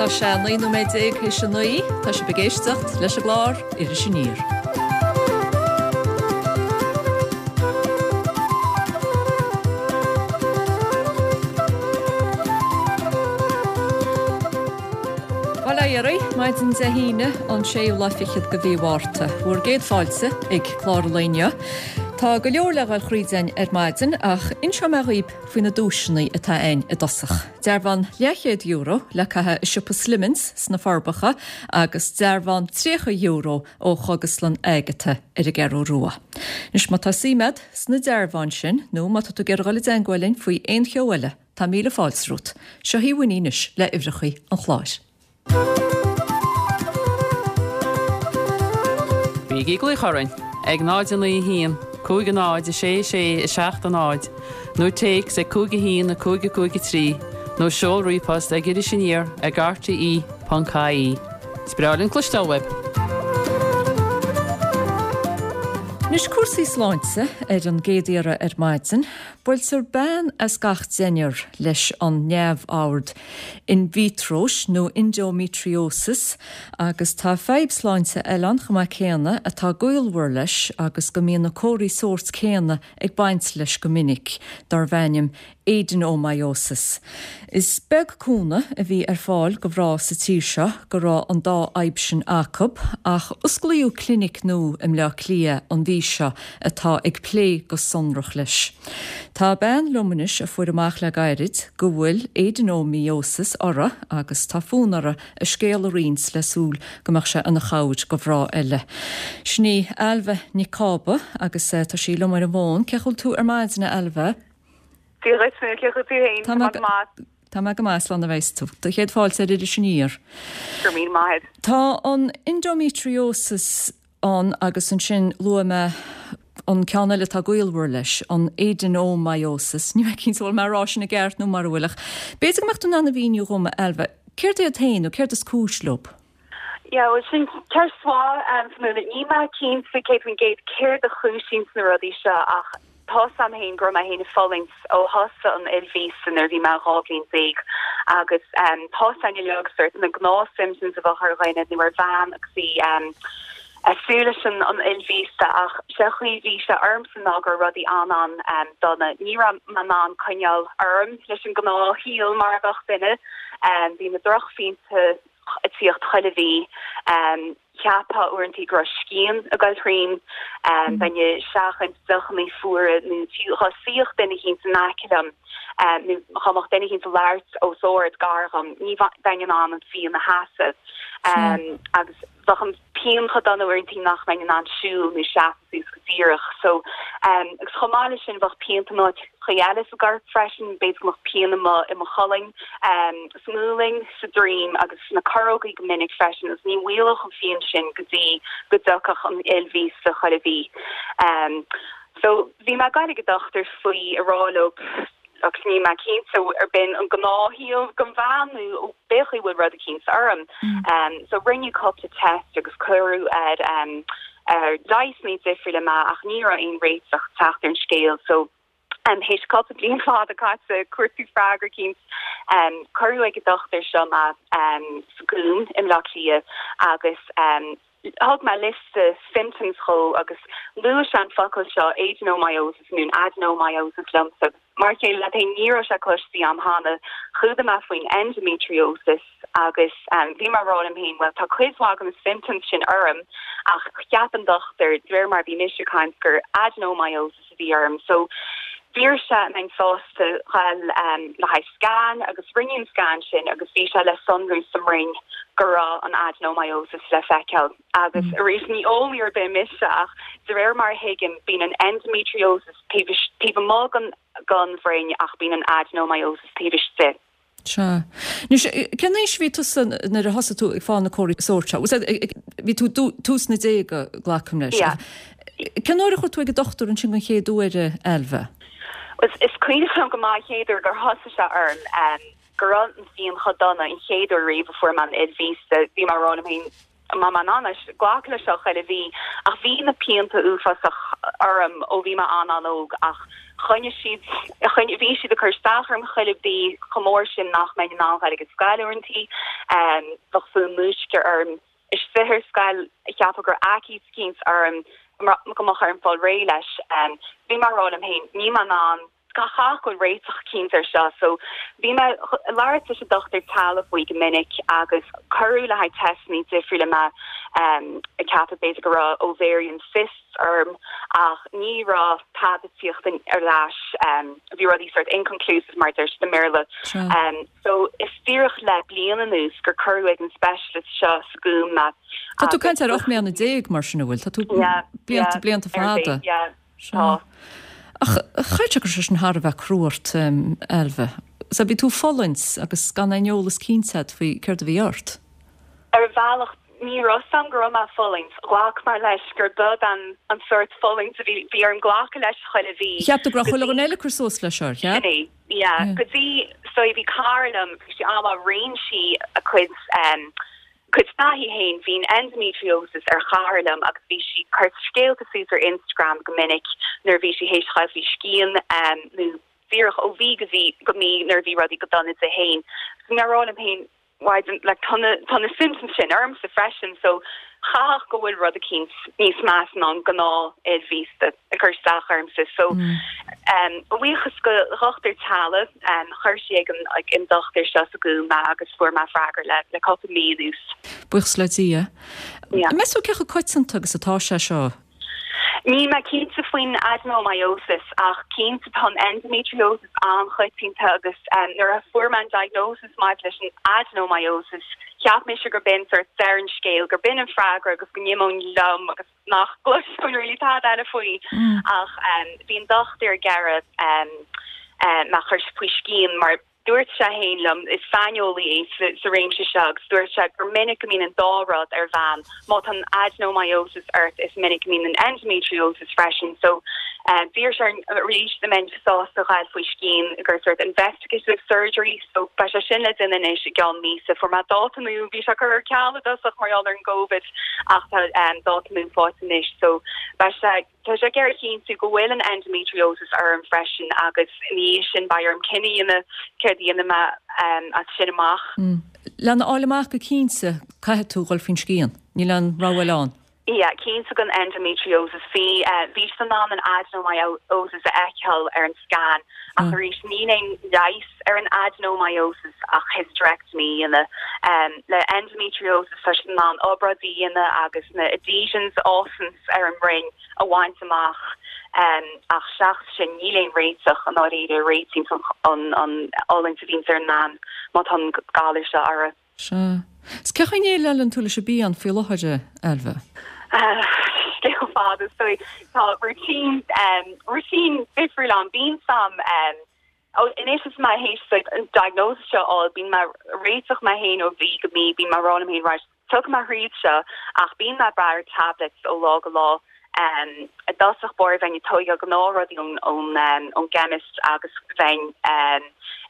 Tá sé 19 nóiméad théis a 9. Tá sibh ag éisteacht leis an gclár Iris Aniar. Bail ó Dhia oraibh, maidin Dé hAoine, an séú lá fichead de mhí Mhárta. Bhur gcéad fáilte ag clár an lae inniu. Tá go leor le dhul thríd againn ar maidin ach inseoidh mé dhaoib faoi na duaiseanna atá againn i dtosach. Dearbhán leathchéad euro le caitheamh i siopa Slimmins sna Forbacha agus dearbhán €30 ó Chógaslann Agatha ar an gCeathrú Rua. Anois má tá suim agat sna dearbháin sin nó má tá tú ag iarraidh dhul i dteangmháil linn faoi aon cheo eile, tá míle fáilte romhat. Seo í Winnie anois le uimhreacha an chláir. Bígí ag glaoch orainn ag 0 9 1 5 0 6 6 7 0 nó téacs ag 5 1 5 5 3 nó seol ríomhphost ag irisaniar ag rte.ie. Is breá linn cloisteáil uaibh! Anois cúrsaí sláinte ar an gcéad iarraidh ar maidin. Buailtear bean as gach deichniúr leis an neamhord in vitro nó endometriosis agus tá fadhb sláinte eile ann chomh maith céanna atá gaolmhar leis agus go mbíonn na comharthaí sóirt céanna ag baint leis go minic, darb ainm adenomyosis. Is beag cúnamh a bhí ar fáil do mhná sa tír seo go raibh an dá fhadhb sin acu, ach osclaíodh clinic nua i mBleá Cliath an mhí seo atá ag plé go sonrach leis. Tá bean liom anois a fuair amach le gairid go bhfuil adenomyosis uirthi agus tá fonn uirthi a scéal a roinnt le súil go mbeadh sé ina chabhair do mhná eile. Sin í Ailbhe Nic Cába agus tá sí liom ar an bhfón. Cén chaoi a bhfuil tú ar maidin, a Ailbhe? Dia dhuit, cén chaoi a bhfuil tú féin? Tá mé go maith. Tá mé go maith, slán a bheas tú. Do chéad fáilte ar Iris Aniar. Go raibh míle maith agat. Tá an endometriosis ann agus ansin luaigh mé an ceann eile atá gaolmhar leis, an adenomyosis. Níl mé cinnte bhfuil mé ag rá sin i gceart nó mara bhfuil ach b'fhéidir go mbeadh tú in ann a mhíniú dhom, a Ailbhe, céard iad féin nó céard is cúis leo? Yeah, bhuel sin ceist mhaith, Fionnuala. Níl mé cinnte 100% céard a chúisíonns na rudaí seo ach tá 's a'm féin go raibh mé féin ag fulaingt ó thosaigh an fhuil mhíosa nuair a bhí mé 12 bhliain agus tá 's a'inn uilig sort na gnáth symptoms a bheadh ar dhuine nó ar bhean agus í ag súil leis an fhuil mhíosa ach sé an chaoi a bhí sé ormsa ná go raibh rudaí an-an-dona. Ní raibh mé in ann coinneáil orm leis an gnáthshaol mar a bheadh duine. Bhí na drochphianta ag tíocht chuile mhí. Cheapfá uaireantaí go raibh scian ag goil thríom. Bheinn ag seachaint deochannaí fuara nó fiú dhá suíodh duine eicínt in aice liom nó dhá mbeadh duine eicínt ag labhairt os ard gar dhom, ní bheinn in ann an phian a sheasamh. Agus bheadh an pian chomh dona uaireantaí nach mbeinn in ann siúl nó seasamh suas go díreach. So, agus chomh maith leis sin bheadh pianta in áiteachaí eile sa gcorp freisin, b'fhéidir go mbeadh pian i mo, i mo cholainn, sa ngualainn, sa droim agus sna corrógaí go minic freisin agus ní mhaolódh an phian sin go dtí go dtiocfadh an fhuil mhíosa chuile mhí. So, bhí mé ag goil ag an dochtúir faoi ag rá leo agus níl mé cinnte ar b'in an gnáthshaol don bhean nó b'é an chaoi a bhfuil rud eicínt orm. So rinneadh cúpla test agus cuireadh ar ar leigheasanna difriúla mé ach ní raibh aon réiteach ag teacht ar an scéal so théis cúpla bliain fada caite ag cuartú freagra eicínt cuireadh ag an dochtúir seo mé sa Gúm i mBleá Cliath agus Thug mé liosta symptoms dhó agus luaigh sé an focal seo adenomyosis nó adenomyosis liomsa agus mar a chéile leat féin ní raibh sé cloiste a'm cheana. Chuala mé faoin endometriosis agus bhí mé ag rá liom féin bhuel tá cuid mhaith de na symptoms sin orm ach cheap an dochtúir de réir mar a bhí mise ag caint gur adenomyosis a bhí orm. So d'iarr sé an mbeinn sásta dhul le haghaidh scan agus rinneadh an scan sin agus bhí sé le sonrú sa mbroinn go raibh an adenomyosis le feiceáil. Agus arís ní eolaí ar bith mise ach de réir mar a thuigim bíonn an endometriosis taobh taobh amuigh den den bhroinn ach bíonn an adenomyosis taobh istigh. Sea. Anois, cén aois a bhí tusa nuair a thosaigh tú ag fáil na comharthaí sóirt seo? Bhí tú tús na déaga, glacaim leis. Yeah. Cén uair a chuaigh tú ag an dochtúir ansin den chéad uair, a Ailbhe? Is, is cuimhin liom go maith an chéad uair gur thosaigh sé orm, go raibh an phian chomh dona an chéad uair riamh a fuair mé an fhuil mhíosa. Bhí mé ag rá liom féin, an mbeidh mé in ann glacadh leis seo chuile mhí? Ach bhí na pianta uafásach. orm ó bhí mé an-an-óg ach choinnigh siad, choinnigh, bhí siad ag cur isteach orm chuile mhí chomh mór sin nach mbeinn in ann ghail ag an scoil uaireantaí. Bheadh fonn múisce orm istigh ar scoil, cheapfá go raibh aicíd eicínt orm go mbeadh orm fáil réidh leis. Bhí mé ag rá liom féin, níl mé in ann, caithfidh go bhfuil réiteach eicínt air seo. So bhí mé ag labhairt leis an dochtúir teaghlaigh faoi go minic agus cuireadh le haghaidh teisteanna difriúla mé ag ceapadh b'fhéidir go raibh ovarian cysts orm ach ní raibh tada ag tíocht ar ais. Bhí rudaí sort inconclusive mar a deir siad i mBéarla. So is díreach le bliain anuas gur cuireadh ag an specialist seo sa Ghúm mé. Tá tú ag caint ar 18 mbliana mar sin, an bhfuil? Tá tú blianta, blianta fada. Yeah, tá. Ach chaithfeadh sé go raibh sé sin thar a bheith crua ort, Ailbhe. So bhí tú ag fulaingt agus gan aon eolas cinnte agat faoi céard a bhí ort. Ar bhealach, ní raibh 's a'm go raibh mé ag fulaingt. Ghlac mé leis gur b'in an an sórt fulaingt a bhí bhí orm glacadh leis chuile mhí. Cheap tú go raibh chuile dhuine eile ag cur suas leis ar cheap? Sin é, yeah. Go dtí, so bhí cara liom, bhí sí an-mhaith, roinn sí a cuid em cuid taithí féin, bhí an endometriosis ar chara liom agus bhí sí ag cur scéalta suas ar Instagram go minic nuair a bhí sí théis ghabháil faoi scian em nó díreach ó mhí go mhí go mí nuair a bhí rudaí go dona di féin. So bhí mé ag rá liom féin, why don't, like, tá na, tá na symptoms sin ormsa freisin so chaithfeadh go bhfuil rud eicínt níos measa ná an gnáth fhuil mhíosta ag cur isteach ormsa. So um, a bhuíochas go dhochtúir teaghlaigh, um, chuir sí ag an, ag an dochtúir seo sa Ghúm mé agus fuair mé freagra le, le cúpla mí anuas. Buíochas le Dia. Yeah. Meas tú cé chomh coitianta agus atá sé seo? Níl mé cinnte faoin adenomyosis ach cinnte tá an endometriosis an-choitianta agus nuair a fuair mé an diagnosis maidir leis an adenomyosis cheap mise gur b'in sort deireadh an scéil, gur b'in an freagra agus go n-imeoinn liom agus nach gcloisfinn really tada eile faoi ach bhí an dochtúir ag iarraidh mé a chur faoi scian mar Dúirt sé féin liom, is saineolaí é sa réimse seo, agus dúirt sé gur minic go mbíonn an dá rud ar bhean. Má tá an adenomyosis ort, is minic go mbíonn an endometriosis freisin. So, d'iarr sé orm arís an mbeinn sásta ghabháil faoi scian gur sort investigative surgery, so beidh sé sin le déanamh anois i gceann míosa. Fuair mé dáta nua, bhí sé curtha ar ceal i dtosach mar gheall ar an gCovid ach tá dáta nua faighte anois, so beidh sé. Tá sé ag iarraidh a chinntiú go bhfuil an endometriosis orm freisin agus ina dhiaidh sin beidh orm cinneadh a dhéanamh céard a dhéanfaidh mé as sin amach. Lena fháil amach go cinnte, caithfidh tú dhul faoin scian. Níl aon rogha eile ann. Yeah, cinnte don endometriosis. Bhí, bhí siad in ann an adenomyosis a fheiceáil ar an scan ach arís níl aon leigheas ar an adenomyosis ach hysterectomy a dhéanamh. Le endometriosis tá siad in ann obráidí a dhéanamh agus na adhesions a fhásanns ar an mbroinn a bhaint amach ach seachas sin níl aon réiteach i ndáiríre a réitíonns an fhulaingt a bhíonns ar an mbean má tá an galar seo uirthi. Sea. 'S cén chaoi a ndéileálann tú leis an bpian faoi láthair, a Ailbhe? Scéal fada. So tá routine, routine difriúil ann. Bíonn sam Anois is mé théis an diagnosis seo a fháil, bíonn mé ag réiteach mé féin ó mhí go mí, bíonn mé ag rá liom féin right, tiocfaidh mé thríd seo ach bíonn mé ag brath ar tablets ó lá go lá. I dtosach báire bheinn ag tóigeáil gnáthrudaí ón ón gchemist agus bheinn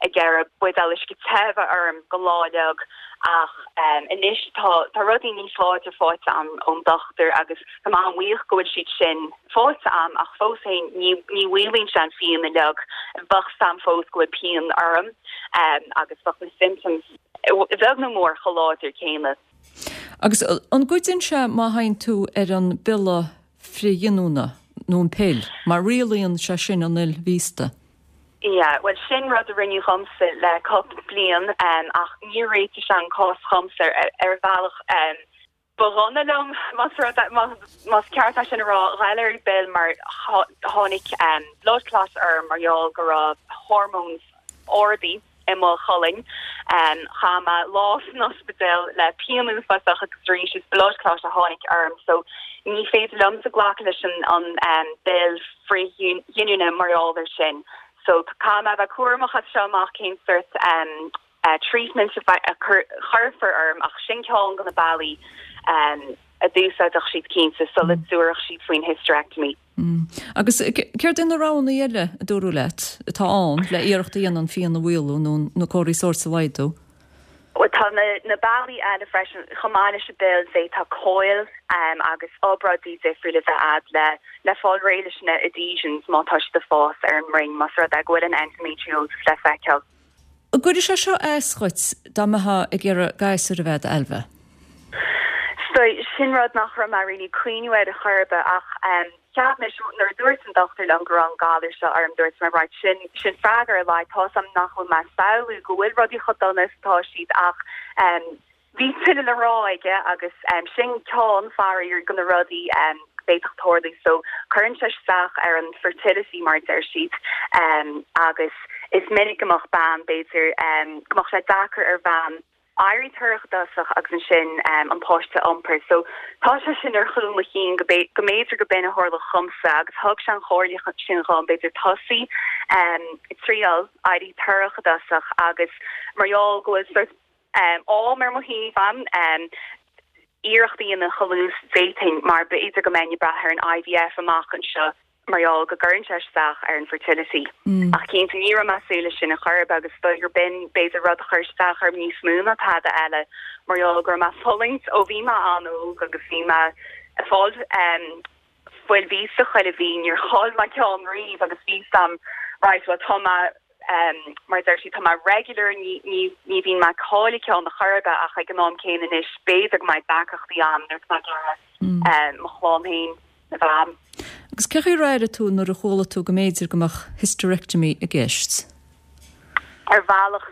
ag iarraidh buidéal uisce te a bheith orm don lá uilig ach anois tá tá rudaí níos láidre faighte a'm ón dochtúir agus tá mé an-bhuíoch go bhfuil siad sin faighte a'm ach fós féin ní ní mhaolaíonn sé an phian uilig. Bheadh 's a'm fós go bhfuil pian orm agus bheadh na symptoms beag nó mór chomh láidir céanna. Agus an gcuidíonn sé má théann tú ar an bpiolla frithghiniúna nó an pill, mar rialaíonn sé sin an fhuil mhíosta? Yeah, bhuel sin rud a rinneadh dhomsa le cúpla bliain ach níor réitigh sé an cás dhomsa ar bhealach. Ba dhona liom, más rud é, más ceart é sin a rá, ghabháil ar an bpill mar tháinig blood clot orm mar gheall go raibh hormones ardaithe i mo cholainn. Chaith mé lá san ospidéal le pian uafásach agus arís is blood clot a tháinig orm so ní féidir liomsa glacadh leis an bpill frithghiniúna mar gheall air sin. So caithfidh mé a bheith cúramach as seo amach cén sort treatment a chuirfear orm ach sin ceann de na bealaí a d'úsáidfeadh siad cinnte sula dtabharfadh siad faoin hysterectomy. Agus céard é na roghanna eile a dúradh leat atá ann le iarracht a dhéanamh an phian a mhaolú nó na comharthaí sóirt a laghdú? Bhuel tá na bealaí eile freisin, chomh maith leis an bpill, say tá coil agus obráidí difriúla a bheith a'd le. le fáil réidh leis na adhesions má tá siad ag fás ar an mbroinn, más rud é go bhfuil an endometriosis le feiceáil. An gcuirfeadh sé seo as dhuit dá mbeifeá ag iarraidh gasúr a bheith agat, Ailbhe? So, sin rud nach raibh mé really ag cuimhniú air ar chor ar bith ach cheap mise nuair a dúirt an dochtúir liom go raibh an galar seo orm, dúirt mé right, sin, sin freagra ar a laghad, tá's a'm nach bhfuil mé ag samhlú go bhfuil rudaí chomh dona is atá siad ach Bhí tuilleadh le rá aige agus sin ceann, faraor, de na rudaí a bhféadfadh tarlú. So, cuireann sé isteach ar an fertility mar a deir siad agus is minic go mbeadh bean, b'fhéidir, go mbeadh sé deacair ar bhean éirí torrach i dtosach agus ansin an páiste a iompar. So, tá sé sin ar chúl mo chinn go mb'fhéidir go b'in a tharlódh dhomsa agus thug sé an chomhairle sin dhom, b'fhéidir tosaí ag triail éirí torrach i dtosach agus mar gheall go bhfuil sort am ar mo thaobh a'm, iarracht a dhéanamh chomh luath is d'fhéadfainn mar b'fhéidir go mbeinn ag brath ar an IVF amach anseo mar gheall go gcuireann sé isteach ar an fertility. Ach cinnte ní raibh mé ag súil leis sin ar chor ar bith agus is dóigh gur b'in b'fhéidir rud a chuir isteach orm níos mó ná tada eile mar gheall go raibh mé ag fulaingt ó bhí mé an-óg agus bhí mé ag fáil fuil mhíosa chuile mhí, níor chaill mé ceann riamh agus bhí 'fhios a'm right well tá mé mar a deir siad tá mé regular ní ní ní bhíonn mé ag cailleadh ceann ar chor ar bith ach ag an am céanna anois b'fhéidir go mbeidh deacrachtaí a'm nuair atá mé ag iarraidh mo chlann féin a bheith a'm. Agus cén chaoi ar airigh tú nuair a chuala tú go mb'fhéidir go mbeadh hysterectomy i gceist? Ar bhealach,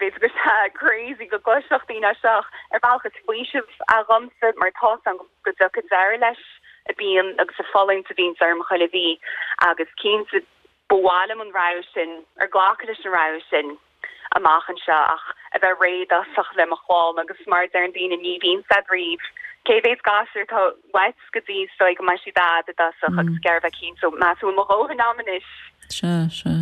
b'fhéidir go sé crazy go gcloisfeadh daoine é seo ach ar bhealach is faoiseamh é dhomsa mar tá 'fhios a'm go dtiocfaidh deireadh leis an bpian agus an fulaingt a bhíonns orm chuile mhí agus cinnte ba mhaith liom an rogha sin, ar glacadh leis an rogha sin amach anseo ach a bheith réidh i dtosach le mo chlann agus mar a deireann daoine ní bhíonn said riamh cé mhéad gasúr atá uait go dtí is dóigh go mbeidh siad a'd i dtosach agus ag iarraidh bheith cinnte so meas tú bhfuil mo dhóthain a'm anois. Sea, sea.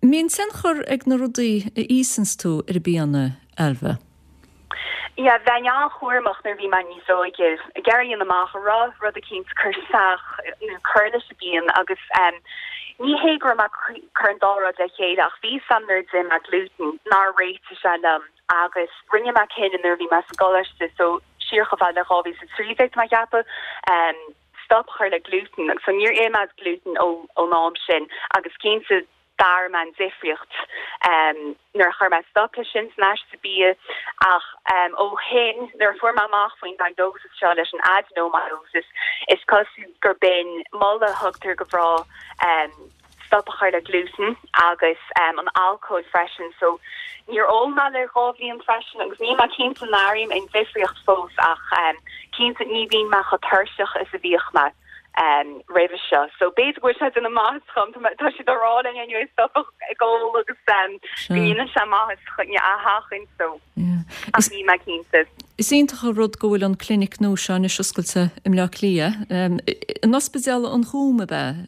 Mbíonn tionchar ag na rudaí a íosanns tú ar an bpian, a Ailbhe? Yeah, bheinn an-chúramach nuair a bhí mé níos óige, ag iarraidh a dhéanamh amach an raibh rud eicínt ag cur isteach nó cur leis an bpian agus em ní hé go raibh mé ag cur an dá rud le chéile ach bhí 'fhios a'm nuair a d'ith mé gluten nár réitigh sé liom agus rinne mé cinneadh nuair a bhí mé sa gcoláiste so siar chomh fada le 2013 tá mé ag ceapadh em stop a chur le gluten agus so níor ith mé gluten ó ón am sin agus cinnte d'airigh mé an difríocht nuair a chuir mé stop leis sin san aiste bia ach ó shin nuair a fuair mé amach faoin diagnosis seo leis an adenomyosis is cosúil gur b'in moladh a thugtar do mhná stop a chur le gluten agus an alcól freisin so níor ól mé le 2 bhliain freisin agus níl mé cinnte an airím aon difríocht fós ach cinnte ní bhíonn mé chomh tuirseach is a bhíodh mé. roimhe seo. So b'fhéidir go bhfuil sé ag déanamh maitheas dhom, tá siad á rá linn anyway stop ag ól agus go ndéanann sé maitheas a sheachaint so ach níl mé cinnte. Is iontach an rud go bhfuil an clinic nua seo anois oscailte i mBleá Cliath. In Ospidéal an Chúim ab ea,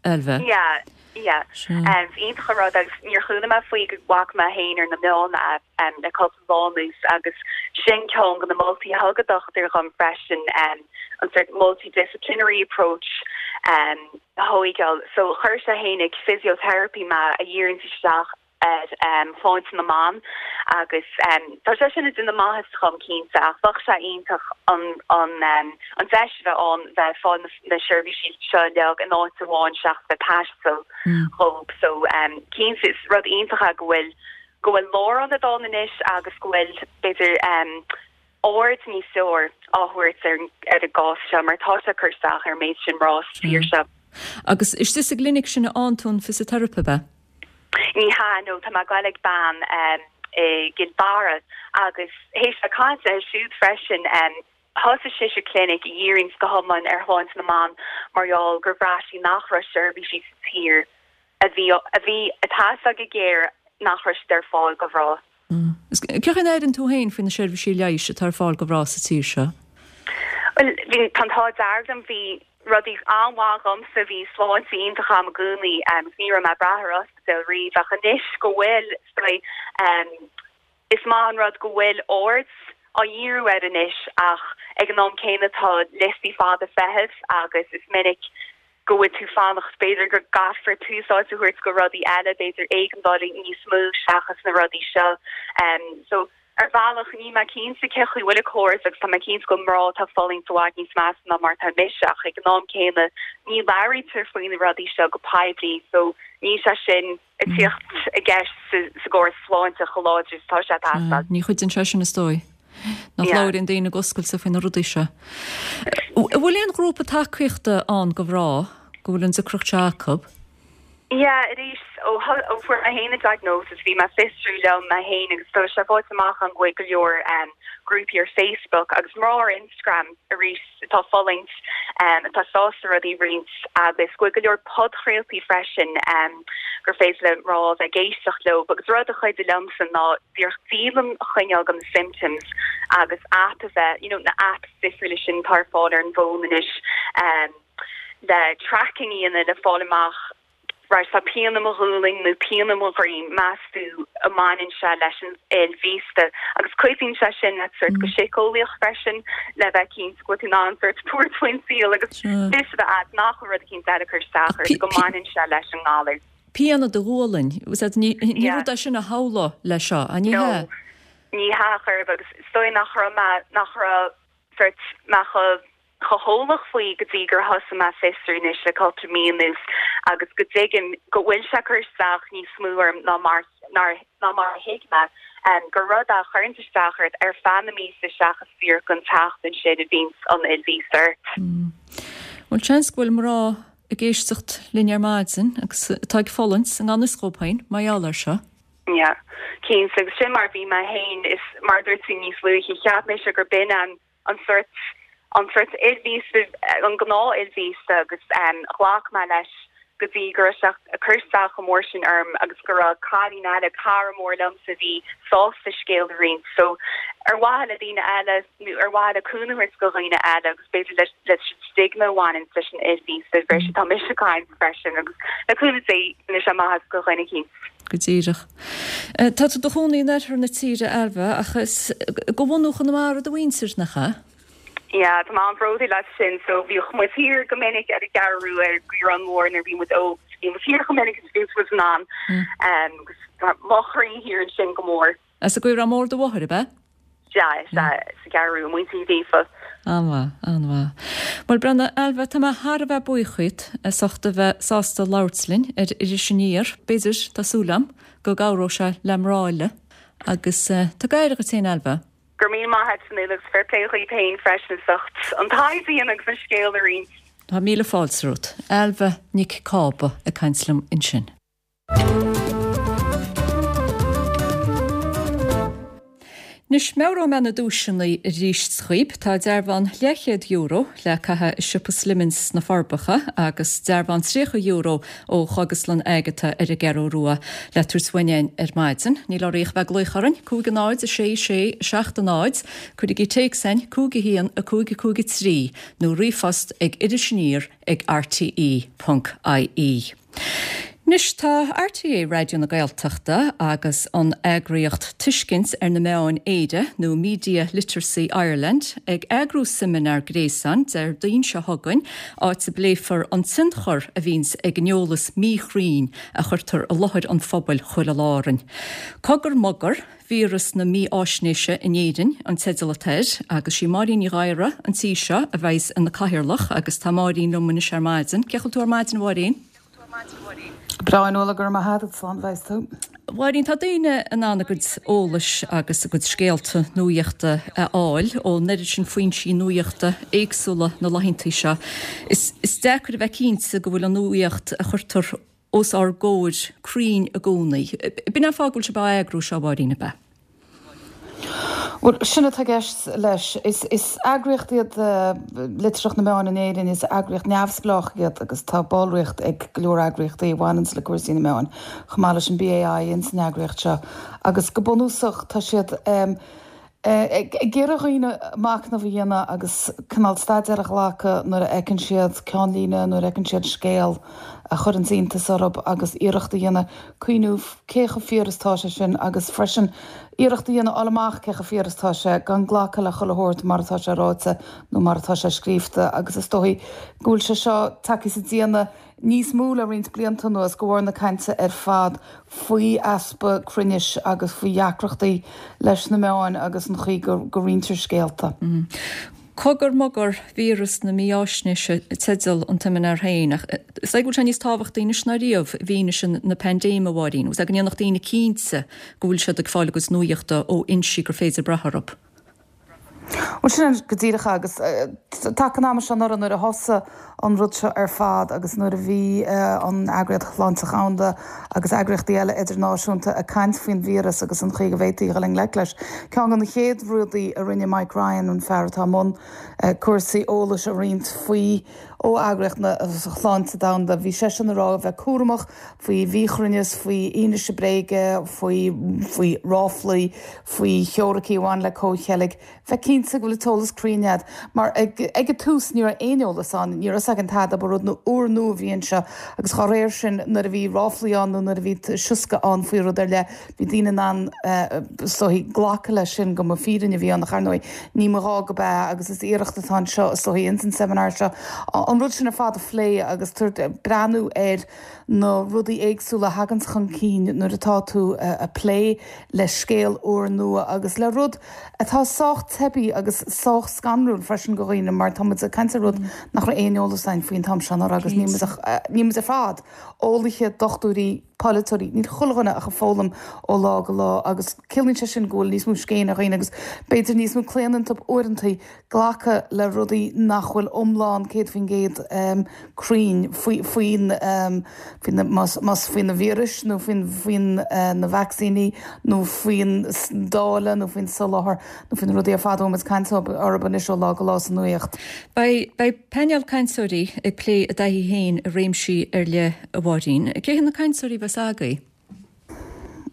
Ailbhe? Yeah, yeah. Is iontach an rud agus níor chuala mé faoi go bhfaca mé féin ar na meáin é le cúpla lá anuas agus sin ceann de na moltaí a thug an dochtúir dhom freisin, an sort multidisciplinary approach a thóigeáil. So chuir sé féin ag physiotherapy mé a dhíríonns isteach ar shláinte na mban agus tá sé sin ag déanamh maitheas dhom cinnte ach bheadh sé iontach an an deis a bheith ann bheith ag fáil na seirbhísí seo uilig in áit amháin seachas bheith ag taisteal dhób so cinnte is rud iontach é go bhfuil go bhfuil lárionad ann anois agus go bhfuil b'fhéidir aird níos fearr á thabhairt ar ar an gcás seo mar tá sé ag cur isteach ar an méid sin mná sa tír seo. Agus istigh sa gclinic sin a fhaigheann tú an fisiteiripe, ab ea? Ní hea, no, tá mé ag goil ag bean i gCill Dara agus théis bheith ag caint léi siúd freisin, thosaigh sise clinic a dhíríonns go hiomlán ar shláinte na mban mar gheall gur bhraith sí nach raibh seirbhísí sa tír a bhí a bhí ag teastáil go géar nach raibh siad ar fáil do mhná. Cén chaoi a n-airíonn tú féin faoi na seirbhísí leighis atá ar fáil do mhná sa tír seo? Bhuel, bhí, tá an t-ádh dearg liom, bhí rudaí an-mhaith dhomsa, bhí sláinte iontach agam i gcónaí agus ní raibh mé ag brath ar ospidéal riamh ach anois go bhfuil, is dóigh, is maith an rud go bhfuil aird á dhíriú air anois ach ag an am céanna tá liostaí fada feithimh agus is minic go bhfuil tú fanacht, b'fhéidir go gcaithfear tús áite a thabhairt go rudaí eile, b'fhéidir éigeandálaí níos mó seachas na rudaí seo. So. Ar bhealach, níl mé cinnte cén chaoi bhfuil an córas agus tá mé cinnte go bhfuil mná atá ag fulaingt i bhfad níos measa ná mar atá mise ach ag an am céanna ní labhraítear faoi na rudaí seo go poiblí so níl sé sin ag tíocht i gceist sa gcóras sláinte chomh láidir is atá sé ag teastáil. Ní chuidíonn sé sin is dóigh. Nach labhraíonn daoine go oscailte faoi na rudaí seo. An bhfuil aon ghrúpa tacaíochta ann do mhná go bhfuil an deacracht seo acu? Yeah, arís, ó ó fuair mé fhéin an diagnosis, bhí mé ag fiosrú liom mé fhéin agus tá sé faighte amach agam go bhfuil go leor grúpaí ar Facebook agus mná ar Instagram arís atá ag fulaingt, atá sásta rudaí a roinnt agus go bhfuil go leor podchraoltaí freisin gur féidir le mná a bheith ag éisteacht leo agus rud a chuidigh liomsa ná díreach dialann a choinneáil de na symptoms agus app a bheith, you know, na apps difriúla sin atá ar fáil ar an bhfón anois. le tracking a dhéanamh le fáil amach right tá pian i mo ghualainn nó pian i mo dhroim, meas tú an mbaineann sé leis an fhuil mhíosta? Agus cuidíonn sé sin leat sort go síceolaíoch freisin le bheith cinnte go bhfuil tú in ann sort tabhairt faoin saol agus fios a bheith agat nach bhfuil rud eicínt eile ag cur isteach ort, go mbaineann sé leis an ngalar. Pian i do ghualainn, ní rud é sin a shamhlófá leis seo, an ní hea? No, ní hea chor ar bith agus is dóigh nach raibh mé, nach raibh sort mé chomh chomh heolach faoi go dtí gur thosaigh mé ag fiosrú anois le cúpla mí anuas agus go dtuigim go bhfuil sé ag cur isteach níos mó orm ná mar ná mar a thuig mé, gur rud é a chuireanns isteach ort ar feadh na míosa seachas díreach an tseachtain sin a bhíonns an fhuil mhíosta ort. Bhuel, seans go bhfuil mná ag éisteacht linn ar maidin agus atá ag fulaingt i ngan fhios dhóibh féin mar gheall air seo. Yeah, cinnte, agus sin mar a bhí mé féin, is mar a dúirt tú níos luaithe, cheap mise gur b'in an an sórt, an sórt fhuil mhíosta, an gnáth fhuil mhíosta agus ghlac mé leis go dtí go raibh sé ag cur isteach chomh mór sin orm agus go raibh cailín eile, cara mór liomsa a bhí sásta scéal a roinnt. So ar mhaithe le daoine eile nó ar mhaithe le cúnamh a thabhairt do dhaoine eile agus b'fhéidir leis leis an stigma a bhaineann leis an fhuil mhíosta a bhriseadh, tá mise ag caint freisin agus le cúnamh Dé déanfaidh sé maitheas do dhuine eicínt. Go díreach. Tá tú i do chónaí in oirthear na tíre, Ailbhe, ach is de bhunú Chonamara do mhuintir, nach ea? Yeah, tá mé an-bhródúil as sin. So bhíodh muid thiar go minic ar an gCeathrú Rua ar an gCaorán Mór nuair a bhí muid óg. Bhí muid thiar chomh minic is a bhí muid in ann. Agus tá mo chroí thiar ansin go mór. As an gCaorán Mór do mháthair, ab ea? Sea, sea, sa gCeathrú Rua, muintir Uí Ghríofa. An-mhaith, an-mhaith. Bhuel, breathnaigh, Ailbhe, tá mé thar a bheith buíoch dhíot as ucht a bheith sásta labhairt linn ar Iris Aniar. B'fhéidir, tá súil agam, go gcabhróidh sé le mná eile. Agus tug aire dhuit féin, Ailbhe. Go raibh míle maith agat, Fionnuala, agus fair play dhaoibh féin freisin as ucht an taighde a dhéanamh agus an scéal a roinnt. Tá míle fáilte romhat. Ailbhe Nic Cába ag caint liom ansin. Anois, meabhróidh mé na duaiseanna arís dhaoib. Tá dearbhán leathchéad euro le caitheamh i siopa Slimmins sna Forbacha agus dearbhán €30 ó Chógaslann Agatha ar an gCeathrú Rua le tabhairt uainn ar maidin. Níl oraibh ach bheith ag glaoch orainn, 5 0 6 6 7 0, cuirigí téacs chugainn, 5 1 5 5 3, nó ríomhphost ag irisaniar ag rte.ie. Anois tá RTÉ Raidió na Gaeltachta agus an eagraíocht Tuiscint ar na Meáin Éire, nó Media Literacy Ireland, ag eagrú seimineár gréasáin Déardaoin seo chugainn, áit a bpléifear an tionchar a bhíonns ag an eolas míchruinn a chuirtear i láthair an phobail chuile lá orainn. Cogar Mogar, Víreas na Mífháisnéise in Éirinn an teideal atá air agus sí Máirín Ní Ghadhra an tí seo a bheidhs ina cathaoirleach agus tá Máirín liom anois ar maidin. Cén chaoi a bhfuil tú ar maidin a Mháirín? Go breá a Fhionnuala, go raibh maith agat, slán a bheas tú. Mháirín, tá daoine in ann a gcuid eolais agus a gcuid scéalta nuaíochta a fháil ón oiread sin foinsí nuaíochta éagsúla na laethanta seo. Is deacair a bheith cinnte go bhfuil an nuaíocht a chuirtear os ár gcomhair cruinn i gcónaí. B'in an fáth go bhfuil sibh á eagrú seo, a Mháirín, ab ea? Bhuel, sin atá i gceist leis. Is eagraíocht iad Litearthacht na Meán in Éirinn, is eagraíocht neamhspleách iad agus tá ballraíocht ag go leor eagraíochtaí a bhaineanns le cúrsaí na meáin, chomh maith leis an BAI ins an eagraíocht seo. Agus go bunúsach tá siad ag iarraidh ar dhaoine machnamh a dhéanamh agus cineál staidéar a ghlacadh nuair a fheiceann siad ceannlíne, nuair a fheiceann siad scéal a chuireanns iontas orthu agus iarracht a dhéanamh cuimhniú cé chomh fíor is atá sé sin agus freisin iarracht a dhéanamh fháil amach cé chomh fíor is atá sé gan glacadh le chuile shórt mar atá sé ráite nó mar atá sé scríofa agus is dóigh go bhfuil sé seo tagtha sa déanamh. níos mó le roinnt blianta anuas de bharr na cainte ar fad faoi easpa cruinnis agus faoi dheacrachtaí leis na meáin agus an chaoi go roinntear scéalta. Cogar Mogar, Víreas na Mífháisnéise teideal an tseimineáir féin, ach is dóigh go bhfuil sé níos tábhachtaí anois ná riamh i bhfianaise na paindéime, a Mháirín, agus go ndéanfadh daoine cinnte go bhfuil siad ag fáil a gcuid nuaíochta ó fhoinsí gur féidir brath orthu. Bhuel, sin é go díreach agus taca an ama seo anuraidh nuair a thosaigh an rud seo ar fad agus nuair a bhí an Eagraíocht Shláinte Dhomhanda agus eagraíochtaí eile idirnáisiúnta ag caint faoin víreas agus an chaoi go bhféadfaí dhul i ngleic leis, ceann de na chéad rudaí a rinne Mike Ryan, an fear atá i mbun cúrsaí eolais a roinnt faoi ó Eagraíocht na Sláinte Domhanda, bhí seisean ag rá a bheith cúramach faoi mhíchruinneas, faoi fhianaise bréige, faoi faoi ráflaí, faoi theoiricí a bhain le comhcheilg. Bheith cinnte go bhfuil an t-eolas cruinn agat, mar ag ag an tús ní raibh aon eolas ann, ní raibh fhios againn tada, ba rud úrnua a bhí anseo agus dá réir sin nuair a bhí ráflaí ann nó nuair a bhí sioscadh ann faoi rud ar leith, bhí daoine in ann is dóichí glacadh leis sin go mba fírinne a bhí ann ach ar ndóigh ní mba ghá go b'ea agus is iarracht atá anseo is dóichí ins an seimineár seo an rud sin ar fad a phlé agus breathnú ar na rudaí éagsúla a thaganns chun cinn nuair atá tú a' plé le scéal úrnua agus le rud atá sách teibí agus sách scanrúil freisin go dhaoine mar tá muid ag caint ar rud nach raibh aon eolas againn faoin t-am seo anuraidh agus níl muid ach níl muid ar fad eolaithe, dochtúirí, polaiteoirí, níl chuile dhuine ach ag foghlaim ó lá go lá agus ciallaíonn sé sin go bhfuil níos mó scéin ar dhaoine agus b'fhéidir níos mó claonadh iontu uaireantaí glacadh le rudaí nach bhfuil iomlán 100% cruinn faoi faoin faoi na más más faoi na víris nó faoin faoin na vacsaíní nó faoin dáileadh nó faoin soláthar nó faoi na rudaí ar fad a bhfuil muid ag caint orthu anois ó lá go lá sa nuaíocht. Beidh beidh painéal cainteoirí ag plé a dtaithí féin i réimsí ar leith, a Mháirín. Cé hiad na cainteoirí a bheas agaibh?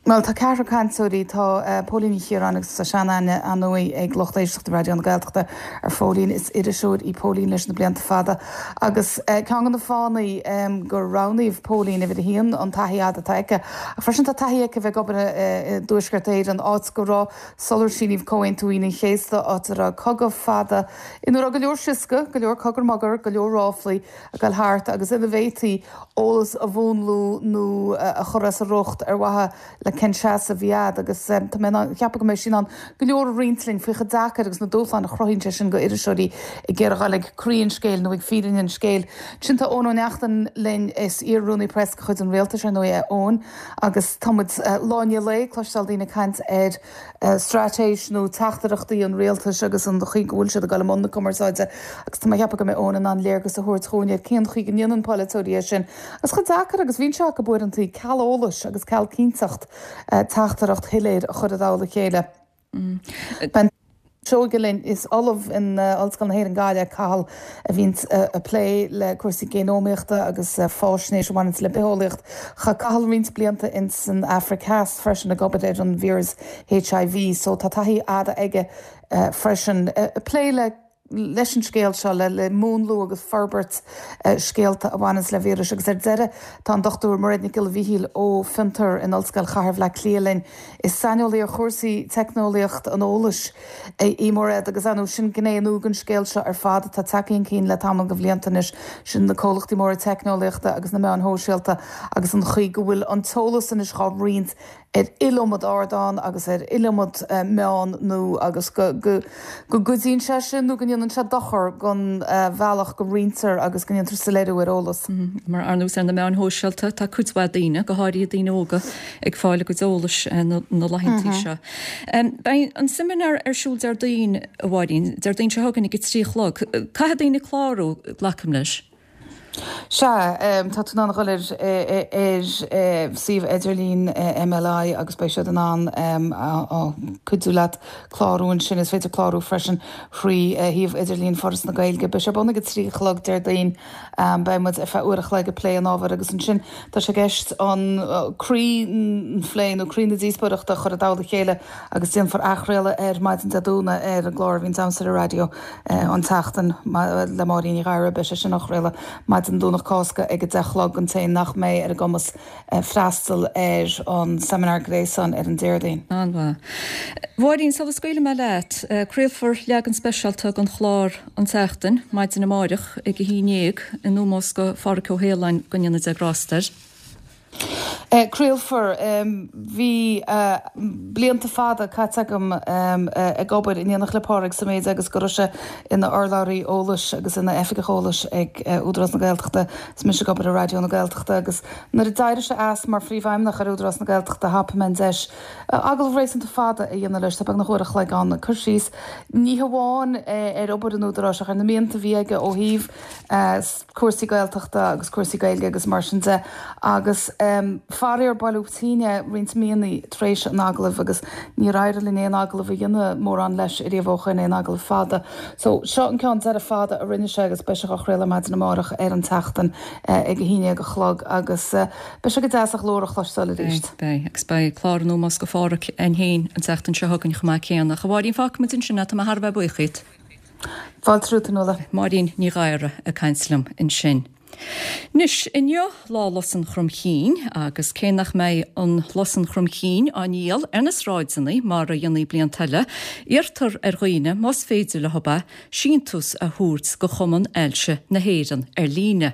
Bhuel, tá ceathrar cainteoirí. Tá Póilín Ní Chiaráin agus tá seanaithne, ar ndóigh, ag lucht éisteachta Raidió na Gaeltachta ar Phóilín. Is iriseoir í Póilín leis na blianta fada agus ceann de na fáthanna gur roghnaíodh Póilín, uimhir a haon, an taithí fhada atá aici ach freisin tá taithí aici a bheith ag obair i dTuaisceart Éireann, áit go raibh, sular síníodh Comhaontú Aoine an Chéasta, áit a raibh cogadh fada ina raibh go leor sioscadh, go leor cogar mogar, go leor ráflaí. ag dul thart agus ina bhféadfaí eolas a mhúnlú nó a chur as a riocht ar mhaithe le cén seasamh a bhí agat agus tá mé ag ceapadh go mbeidh sí in ann go leor a roinnt linn faoi chomh deacair agus na dúshláin a chruthaíonn sé sin go iriseoirí ag iarraidh dul ag croí an scéil nó ag fírinne an scéil. Ansin tá Eoin Ó Neachtain linn, is iar-rúnaí preas de chuid an Rialtais ar ndóigh é Eoin agus tá muid lá i ndiaidh lae ag cloisteáil daoine ag caint ar straitéis nó teachtaireachtaí an rialtais agus an chaoi go bhfuil siad ag dul i mbun na cumarsáide agus tá mé ag ceapadh go mbeidh Eoin in ann léargas a thabhairt dhúinn ar cén chaoi go ndéanann polaiteoirí é sin agus chomh deacair agus bhíonn sé acu uaireanta ceal eolais agus ceal cinnteacht teachtaireacht shoiléir a chur i dtoll a chéile. Beidh an Seoige linn. Is ollamh in Ollscoil na hÉireann Gaillimh é Cathal a bhíonn ag plé le cúrsaí géanómaíochta agus fáisnéis a bhaineanns le bitheolaíocht. Chaith Cathal roinnt blianta ins an Afraic Theas freisin ag obair ar an víreas HIV so tá taithí fhada aige freisin ag plé le leis an scéal seo, le múnlú agus forbairt scéalta a bhaineanns le víris. Agus ar deireadh tá an Dr Mairéad Nic Giolla Mhichíl ó Fiontar in Ollscoil Chathair Bhaile Átha Cliath linn. Is saineolaí ar chúrsaí teicneolaíocht an eolais í Mairéad agus ar ndóigh sin gné nua den scéal seo ar fad atá tagtha chun cinn le tamall de bhlianta anois, sin na comhlachtaí móra teicneolaíochta agus na meáin shóisialta agus an chaoi go bhfuil an t-eolas anois dhá roinnt ar iliomad ardán agus ar iliomad meán nua agus go gcuidíonn sé sin nó go ndéanann sé dochar don bhealach go roinntear agus go ndéantar soiléiriú ar eolas. Mar ar nós ar na meáin shóisialta tá cuid mhaith daoine, go háirithe daoine óga, ag fáil a gcuid eolais na laethanta seo. Beidh an seimineár ar siúl Déardaoin, a Mháirín, Déardaoin seo chugainn ag a 3 a chlog. Caithfidh daoine clárú, glacaim leis. Sea, tá tú in ann a dhul ar ar suíomh idirlín MLI agus beidh siad in ann cuidiú leat clárú ansin. Is féidir clárú freisin thrí shuíomh idirlín Foras na Gaeilge. Beidh sé ar bun ag a 3 a chlog Déardaoin. Beidh muid ar feadh uair a chloig ag plé an ábhair agus ansin tá sé i gceist an croí an phlé nó croí na díospóireachta a chur i dtoll a chéile agus déanfar athchraoladh air maidin Dé Domhnaigh ar an gclár a bhíonns a'msa ar an raidió an tseachtain le Máirín Ní Ghadhra. Beidh sé sin á chraoladh maidin. maidin Domhnach Cásca ag 10 a chlog don té nach mbeidh ar a gcumas freastal ar an seimineár gréasáin ar an Déardaoin. An-mhaith. Mháirín, sula scaoilfidh mé leat, craolfar leagan speisialta den chlár An tSeachtain, maidin amáireach ag a haon dhéag, in ómós do Phádhraic Ó hAoláin, go ndéana Dia grásta air. Craolfar. Bhí blianta fada caite agam ag obair in éineacht le Pádraig sa méid agus go raibh sé ina urlabhraí eolais agus ina oifigeach eolais ag Údarás na Gaeltachta is mise ag obair i Raidió na Gaeltachta agus nuair a d'éirigh sé as mar phríomhfheidhmeannach ar Údarás na Gaeltachta thapaigh mé an deis agallamh réasúnta fada a dhéanamh leis, tá beagnach uair a chloig ann, ag cur síos ní hamháin ar obair an Údaráis ach ar na mianta a bhí aige ó thaobh cúrsaí Gaeltachta agus cúrsaí Gaeilge agus mar sin de agus faraor buaileadh tinn é roinnt míonna tar éis an agallaimh agus níor éirigh linn aon agallamh a dhéanamh mórán leis ariamh ó shoin, aon agallamh fada. So seo an ceann deiridh fada a rinne sé agus beidh sé á chraoladh maidin amárach ar an tSeachtain ag a haon dhéag a chlog agus beidh sé go deas a ghlór a chloisteáil arís. Beidh, beidh. Agus beidh clár in ómós do Phádhraic againn féin an tseachtain seo chugainn chomh maith céanna. Ach a Mháirín fágfaidh muid ansin é, tá mé thar a bheith buíoch dhíot. Fáilte romhat, a Fhionnuala. Máirín Ní Ghadhra ag caint liom ansin. Anois, inniu Lá Lus an Chromchinn agus cé nach mbeidh an lus an chromchinn á ndíol ar na sráideanna mar a dhéantaí blianta eile, iarrtar ar dhaoine, más féidir leo é, síntiús a thabhairt go Chumann Ailse na hÉireann ar líne.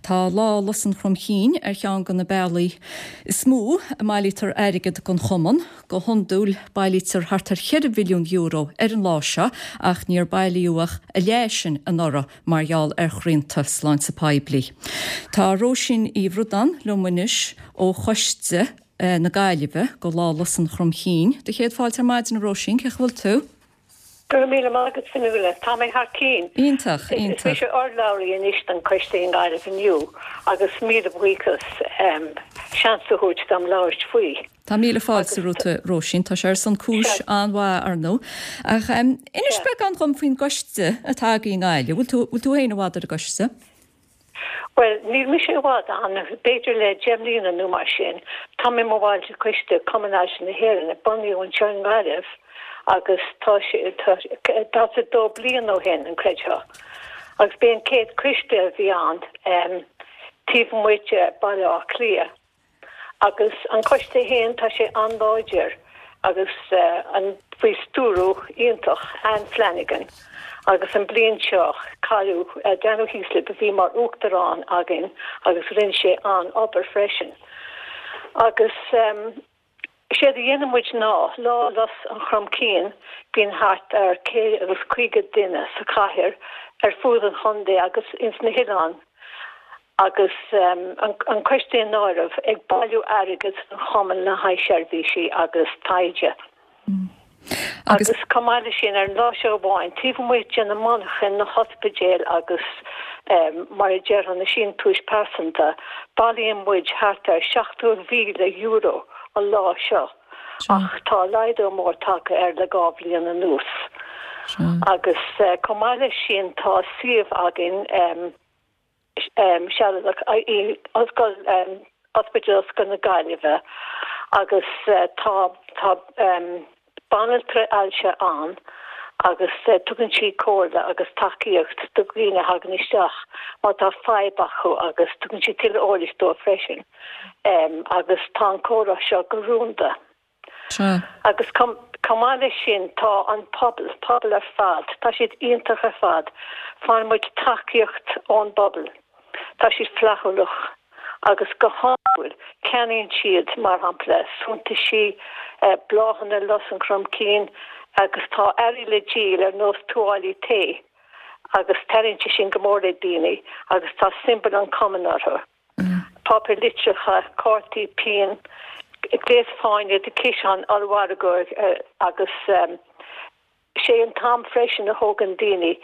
Tá Lá Lus an Chromchinn ar cheann de na bealaí is mó a mbailítear airgead don Chumann. Go hiondúil bailítear thart ar €4 mhilliún ar an lá seo ach níor bailíodh ach a leath sin anuraidh mar gheall ar shrianta sláinte poiblí. Tá Róisín Uí Bhraodáin liom anois ó choiste na Gaillimhe go Lá Lus an Chromchinn. Do chéad fáilte ar maidin a Róisín, cén chaoi a bhfuil tú? Go raibh míle maith agat Fionnuala. Tá mé thar cinn. Iontach, iontach. Is mise urlabhraí anois don choiste i nGaillimh inniu agus míle buíochas seans a thabhairt dom labhairt faoi. Tá míle fáilte romhat a Róisín. Tá sé ar son cúis an-mhaith ar ndóigh. Ach inis beagán dhom faoin gcoiste atá agaibh i nGaillimh. Bhfuil tú, bhfuil tú féin i bhfad ar an gcoiste? Bhuel, níl mise i bhfad ann, b'fhéidir le 10 mbliana nó mar sin. Tá mé i mo bhall de choiste Cumann Ailse na hÉireann a bunaíodh anseo i nGaillimh agus tá sé, tá, 42 bliain ó shin, an gcreidfeá. Agus b'é an chéad choiste a bhí ann taobh amuigh de Baile Átha Cliath. Agus an coiste féin, tá sé an-láidir agus an faoi stiúrú iontach Anne Flanagan agus an bliain seo cailleadh Daniel Heaslip a bhí mar uachtarán againn agus rinne sé an-obair freisin. Agus séard a dhéanann muid ná, Lá Lus an Chromchinn, bíonn thart ar 150 duine sa chathair ar fuaid an chontae agus ins na hoileáin agus an coiste in áireamh, ag bailiú airgid don chumann le haghaidh seirbhísí agus taighde. Agus chomh maith leis sin, ar an lá seo amháin, taobh amuigh de na monarchain, na hospidéil agus mar a déarfá na síntiúis pearsanta, bailíonn muid thart ar €70,000 an lá seo, ach tá laghdú mór tagtha air le 2 bhliain anuas. Agus chomh maith leis sin, tá suíomh againn, sealadach i Ollscoil, Ospidéal Ollscoil na Gaillimhe agus tá tá banaltra ailse ann agus tugann sí comhairle agus tacaíocht do dhaoine a thagann isteach má tá fadhb acu agus tugann sí tuilleadh eolais dóibh freisin agus tá an comhrá seo go rúnda. Sea. Agus chomh maith leis sin, tá an pobal, pobal ar fad, tá siad iontach ar fad. Faigheann muid tacaíocht ón bpobal. Tá siad flaithiúlach agus go hiondúil ceannaíonn siad, mar shampla, suntaisí, bláthanna lus an chromchinn agus tá earraí le díol ar nós tuáillí tae agus taitníonn sé sin go mór le daoine agus tá siombail an chumainn orthu. páipéar litreacha, cártaí pinn, gléas fáinne do ciseán ollmhargaidh agus sé an t-am freisin a thógann daoine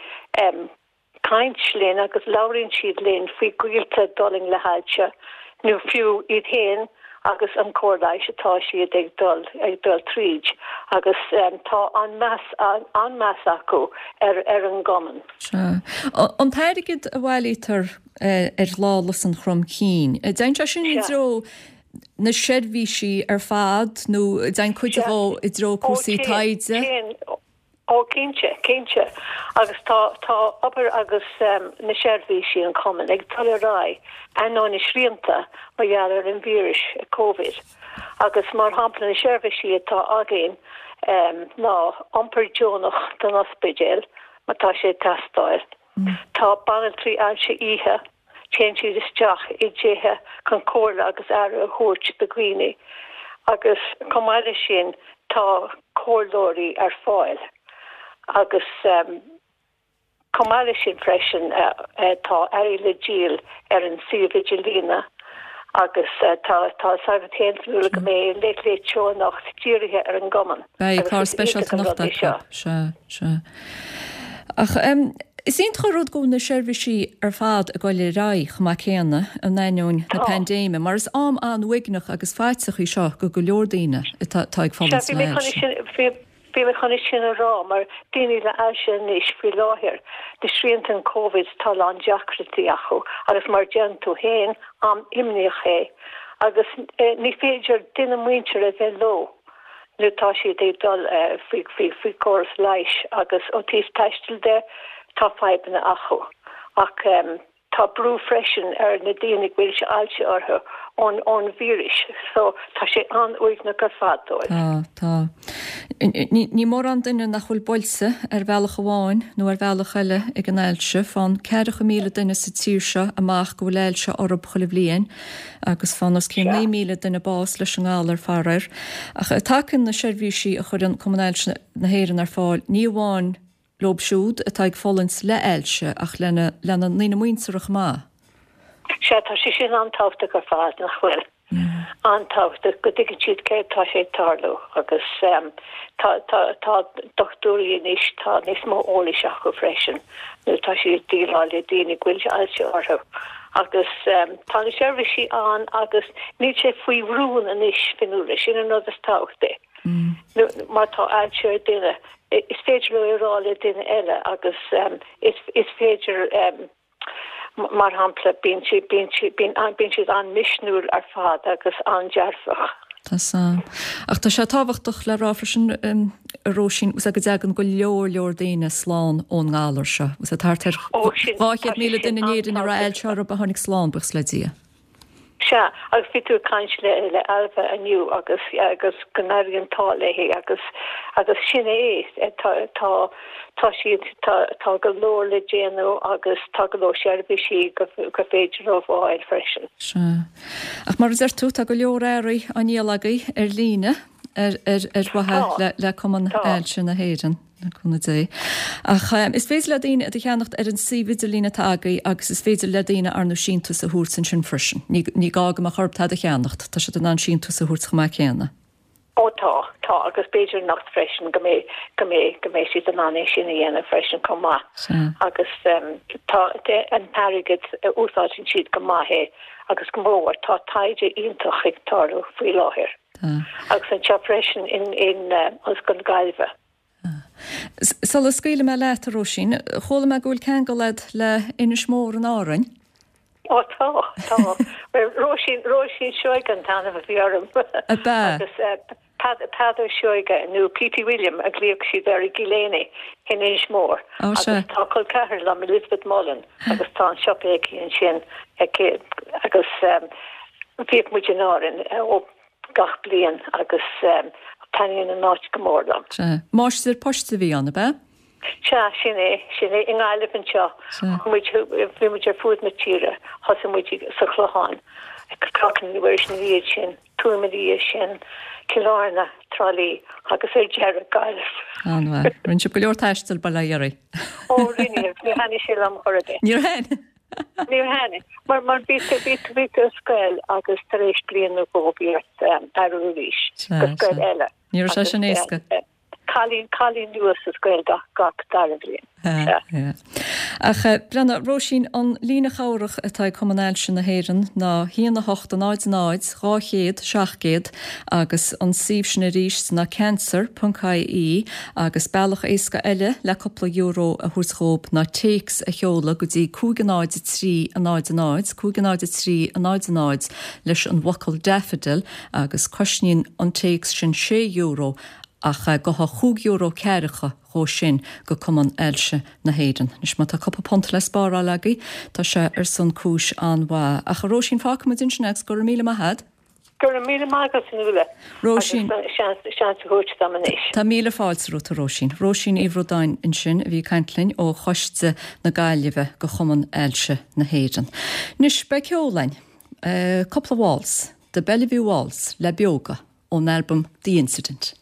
caint linn agus labhraíonn siad linn faoi gaolta a d'fhulaing le hailse nó fiú iad féin agus an cóir leighis atá siad ag dul ag dul tríd agus tá an-mheas an-mheas acu ar ar an gcumann. Sea. An t-airgead a bhailítear ar Lá Lus an Chromchinn. An dtéann sé sin i dtreo na seirbhísí ar fad nó an dtéann cuid dhó i dtreo cúrsaí taighde? Ó cinnte, cinnte. Agus tá, tá obair agus na seirbhísí an Chumainn ag dul ar aghaidh ainneoin na srianta mar gheall ar an víreas Covid. Agus mar shampla na seirbhísí atá againn ná iompar deonach don ospidéal má tá sé ag teastáil. Tá banaltraí ailse oíche, téann siad isteach i dtithe chun comhairle agus aire a thabhairt do dhaoine agus chomh maith leis sin tá comhairleoirí ar fáil agus chomh maith leis sin freisin tá earraí le díol ar an suíomh idirlíne agus tá tá a fhios agat féin Fionnuala go mbeidh Late Late Show anocht dírithe ar an gcumann. Beidh agus clár is iontach speisialta an anocht rud é acu. seo. Sea, sea. Ach is iontach an rud go bhfuil na seirbhísí ar fad ag dul ar aghaidh chomh maith céanna in ainneoin na Tá. paindéime, mar is am an-uaigneach agus faiteach í seo go go leor daoine atá atá ag Sea, fulaingt bhí le mé chun hailse. sin, bhí, bhí mé chun é sin a rá, mar daoine le ailse anois faoi láthair, na srianta an Covid, tá a lán deacrachtaí acu agus mar a deireann tú féin, am imníoch é agus ní féidir duine muinteartha a bheith leo. nó tá siad ag dul faoi faoi chóras leighis agus ó taobh taistil de tá fadhbanna acu. Ach tá brú freisin ar na daoine go bhfuil ailse orthu ón ón víreas so tá sé an-uaigneach ar fad dóibh. Tá, tá. Ní mórán duine nach bhfuil buailte ar bhealach amháin nó ar bhealach eile ag an ailse. Faigheann 40,000 duine sa tír seo amach go bhfuil ailse orthu chuile bhliain. agus faigheann os cionn 9,000 duine bás leis an ngalar, faraor. Ach tacaíonn na seirbhísí a chuireann Cumann Ailse na hÉireann ar fáil ní amháin leo siúd atá ag fulaingt le hailse ach lena lena ndaoine muinteartha chomh maith. Sea, tá sé sin an-tábhachtach ar fad, nach bhfuil? An-tábhachtach go dtuigeann siad céard tá sé ag tarlú agus tá tá tá dochtúirí anois, tá níos mó eolais acu freisin nó tá siad ag déileáil le daoine go bhfuil ailse orthu. Agus tá na seirbhísí ann agus níl sé faoi rún anois, Fionnuala, sin an rud is tábhachtaí. Má tá ailse ar duine, is féidir leo é a rá le duine eile agus is féidir, mar shampla, bíonn siad, bíonn siad, bíonn siad an-misniúil ar fad agus an-dearfach. Tá san. Ach tá sé tábhachtach le rá freisin, a Róisín, go dtagann go leor leor daoine slán ón ngalar seo. Tá thart ar 200,000 duine in Éirinn a raibh ailse orthu a tháinig slán, buíochas le Dia. Sea, agus bhí tú ag caint le le Ailbhe inniu agus agus go n-éiríonn an t-ádh léi agus agus sin é, tá tá tá siad tá tá go leor le déanamh agus tá go leor seirbhísí go gur féidir leo a fháil freisin. Sea. Ach mar a deir tú, tá go leor earraí á ndíol agaibh ar líne ar ar mhaithe le Cumann Ailse na hÉireann, le cúnamh Dé. Ach is féidir le daoine iad a cheannacht ar an suíomh idirlín atá agaibh agus is féidir le daoine ar ndóigh síntiús a thabhairt ansin freisin. Ní gá go mbeadh orthu tada a cheannacht, tá siad in ann síntiús a thabhairt chomh maith céanna. Ó tá, tá, agus b'fhéidir anocht freisin go mbeidh, go mbeidh, go mbeidh siad in ann é sin a dhéanamh freisin chomh maith. Sea. Agus tá an t-airgead, úsáideann siad go maith é agus go mór. Tá taighde iontach ag tarlú faoi láthair. Tá. Agus anseo freisin in, in Ollscoil na Gaillimhe. Tá. Sula scaoilfidh mé leat, a Róisín, chuala mé go bhfuil ceangal agat le Inis Mór in Árainn. Ó tá, tá. Bhuel, Róisín, Róisín Seoige an t-ainm a bhí orm. Ab ea? Agus Peadar Seoige, nó Petey William a ghlaodh siad air i gCill Éinne in Inis Mór. Ó sea. Agus tá col ceathar liom, Elizabeth Mullen, agus tá an siopa aici ansin aici agus bhíodh muid in Árainn ó gach bliain agus taitníonn an áit go mór liom. Sea. Máistir poist a bhí ann, ab ea? Sea, sin é, sin é. I nGaillimh anseo. Sea. Chuaigh muid, bhí muid ar fuaid na tíre. Thosaigh muid sa Chlochán, Cnoc an Mhuiris ina dhiaidh sin, Tuaim ina dhiaidh sin, Cill Airne, Trá Lí agus ar deireadh, Gaillimh. An-mhaith. Rinne sibh go leor taistil, bail ó Dhia oraibh. Ó, rinne. Níor thaitnigh sé liom chor ar bith. Níor thaitnigh? Níor thaitnigh. Mar, mar bhí tú, bhí tú, bhí tú i scoil agus tar éis bliain nó dhó bhí ort athrú arís Sea, go scoil sea. eile. Ní raibh sé Agus sin éasca. Cailín, cailín nua sa scoil gach, gach dara bliain. Sea, sea. Ach breathnaigh, Róisín, an líne chabhrach atá ag Cumann Ailse na hÉireann ná 1 8 0 0 200 700 agus an suíomh sin arís ná cancer ponc ie agus bealach éasca eile le cúpla euro a thabhairt dhób ná téacs a sheoladh go dtí 5 0 3 0 0 5 0 3 0 0 leis an bhfocal daffodil agus cosnaíonn an téacs sin €6. Ach gabhfaidh chúig euro ceathracha dhó sin go Cumann Ailse na hÉireann. Anois má tá cúpla punt le spáráil agaibh, tá sé ar son cúis an-mhaith. Ach a Róisín, fágfaimid ansin é agus go raibh míle maith a'd. Go raibh míle maith agat, Nuala, Róisín. agus seans a thabhairt dom anois. Tá míle fáilte romhat, a Róisín. Róisín Uí Bhraodáin ansin a bhí ag caint linn ó Choiste na Gaillimhe go Chumann Ailse na hÉireann. Anois, beidh ceol againn. Cúpla waltz. The Bellevue Waltz le Beoga. ón albam The Incident.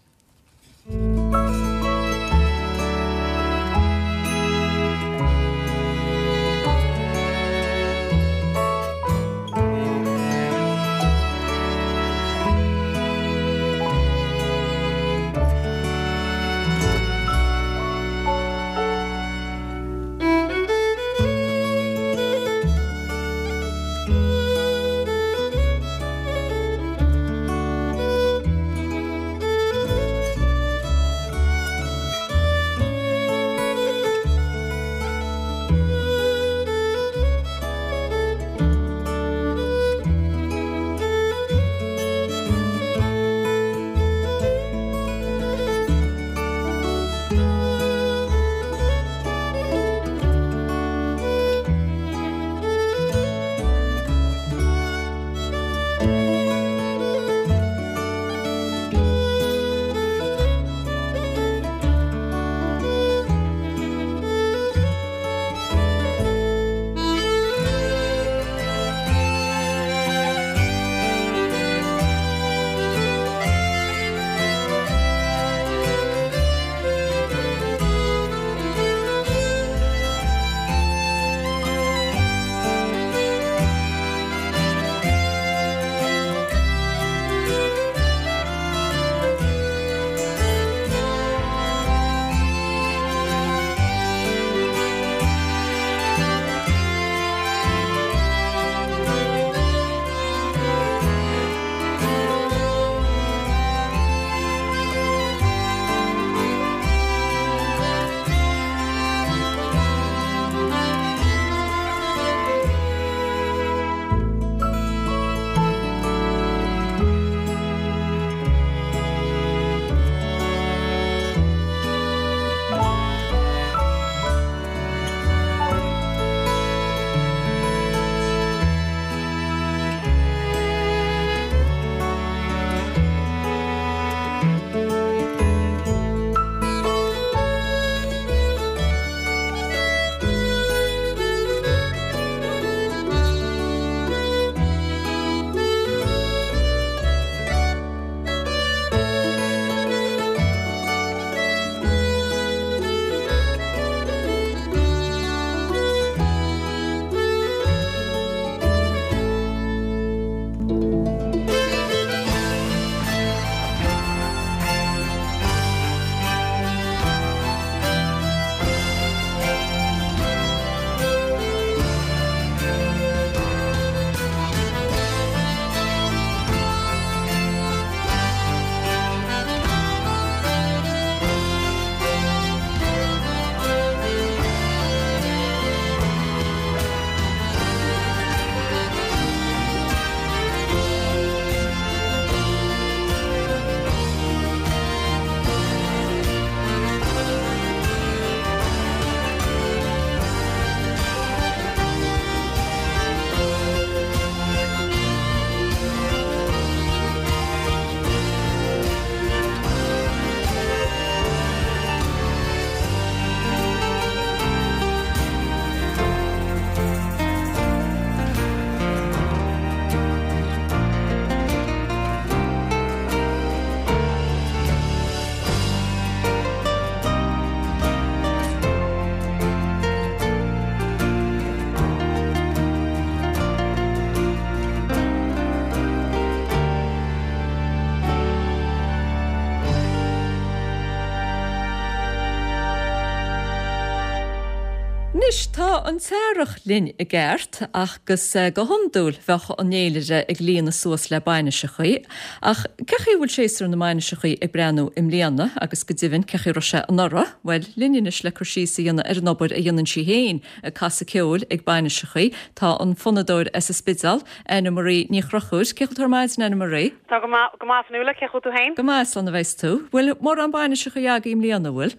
Anois tá an t-earrach linn i gceart agus go hiondúil bheadh an fhéilire ag líonadh suas le bainiseachaí ach cé chaoi a bhfuil séasúr na mbainiseachaí ag breathnú i mbliana agus go deimhin cé chaoi a raibh sé anuraidh? Bhuel, linn anois le cur síos a dhéanamh ar an obair a dhéanann sí féin ag casadh ceoil ag bainiseachaí tá an fonnadóir as an Spidéal, Anna Marie Ní Chonchúir. Cén chaoi a bhfuil tú ar maidin, Anna Marie? Tá go maith, go maith Fionnuala, cén chaoi a bhfuil tú féin? Go maith, slán a bheas tú. Bhfuil mórán bainiseachaí agaibh i mbliana, bhfuil?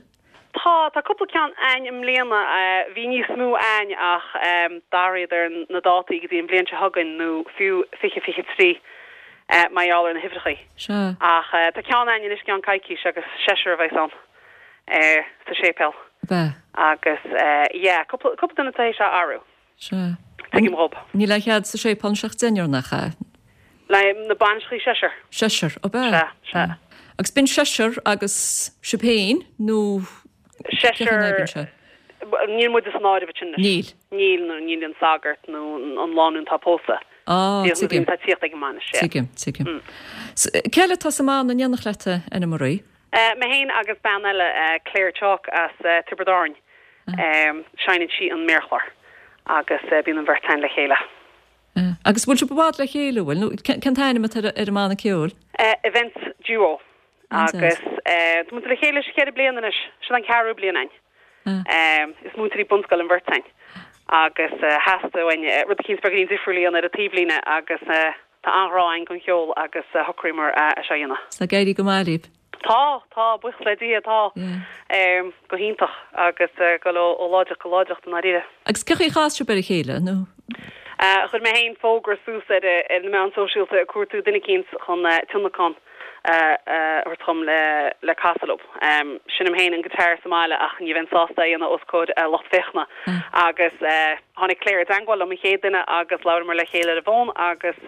Tá, tá cúpla ceann a'ainn i mbliana. Bhí níos mó a'ainn ach d'athraíodar na dátaí go dtí an bhliain seo chugainn nó fiú 2023 mar gheall ar na huimhreachaí. Sea. Ach tá ceann a'ainn anois i gceann coicís agus seisear a bheas ann sa séipéal. Ab ea? Agus yeah, cúpla, cúpla duine tar éis á athrú. Sea. Tuigim dhób. Níl aon chead sa séipéal anois ach deichniúr, nach ea? Le na bainiseachaí seisear. Seisear, ab ea? Sea, sea. Agus b'in seisear agus sibh féin nó cén chaoi a n-oibríonn sé? Seisear, níl muide san áireamh ansin anois. Níl. Níl, nó níl an sagart nó an lánúin atá pósta. Á, tuigim. Tá tíocht ag an mbainis, yeah. Tuigim, tuigim. Cé eile atá sa mbanna in éineacht leat, Anna Marie? Mé féin agus bean eile, Claire Chalk as Tiobraid Árann. Seinneann sí an méarchlár agus bíonn an bheirt againn le chéile. Agus bhfuil sibh i bhfad le chéile, bhfuil? Nó cén t-ainm atá ar an mbanna ceoil? Events Duo. Agus tá muid le chéile 4 bliana anois. Sin an ceathrú bliain againn. Is múinteoirí bunscoile an bheirt againn. Agus theastaigh uainn rud eicínt beagáinín difriúil a dhéanamh ar an taobhlíne agus Tá an-ghrá againn don cheol agus shocraíomar é seo a dhéanamh. Tá ag éirí go maith libh. Tá, tá, buíochas le Dia, tá. Go hiontach agus ag dul ó láidreacht go láidreacht i ndáiríre. Agus cén chaoi a chas sibh ar a chéile, nó? Chuir mé féin fógra suas ar na meáin sóisialta ag cuartú duine eicínt chun tionlacan a thabhairt dhom le casadh leo. Seinnim féin an guitar sa mbaile ach ní bheinn sásta é a dhéanamh os comhair lucht féachana. Agus tháinig Claire i dteangmháil liom, an chéad duine, agus labhramar le chéile ar an bhfón agus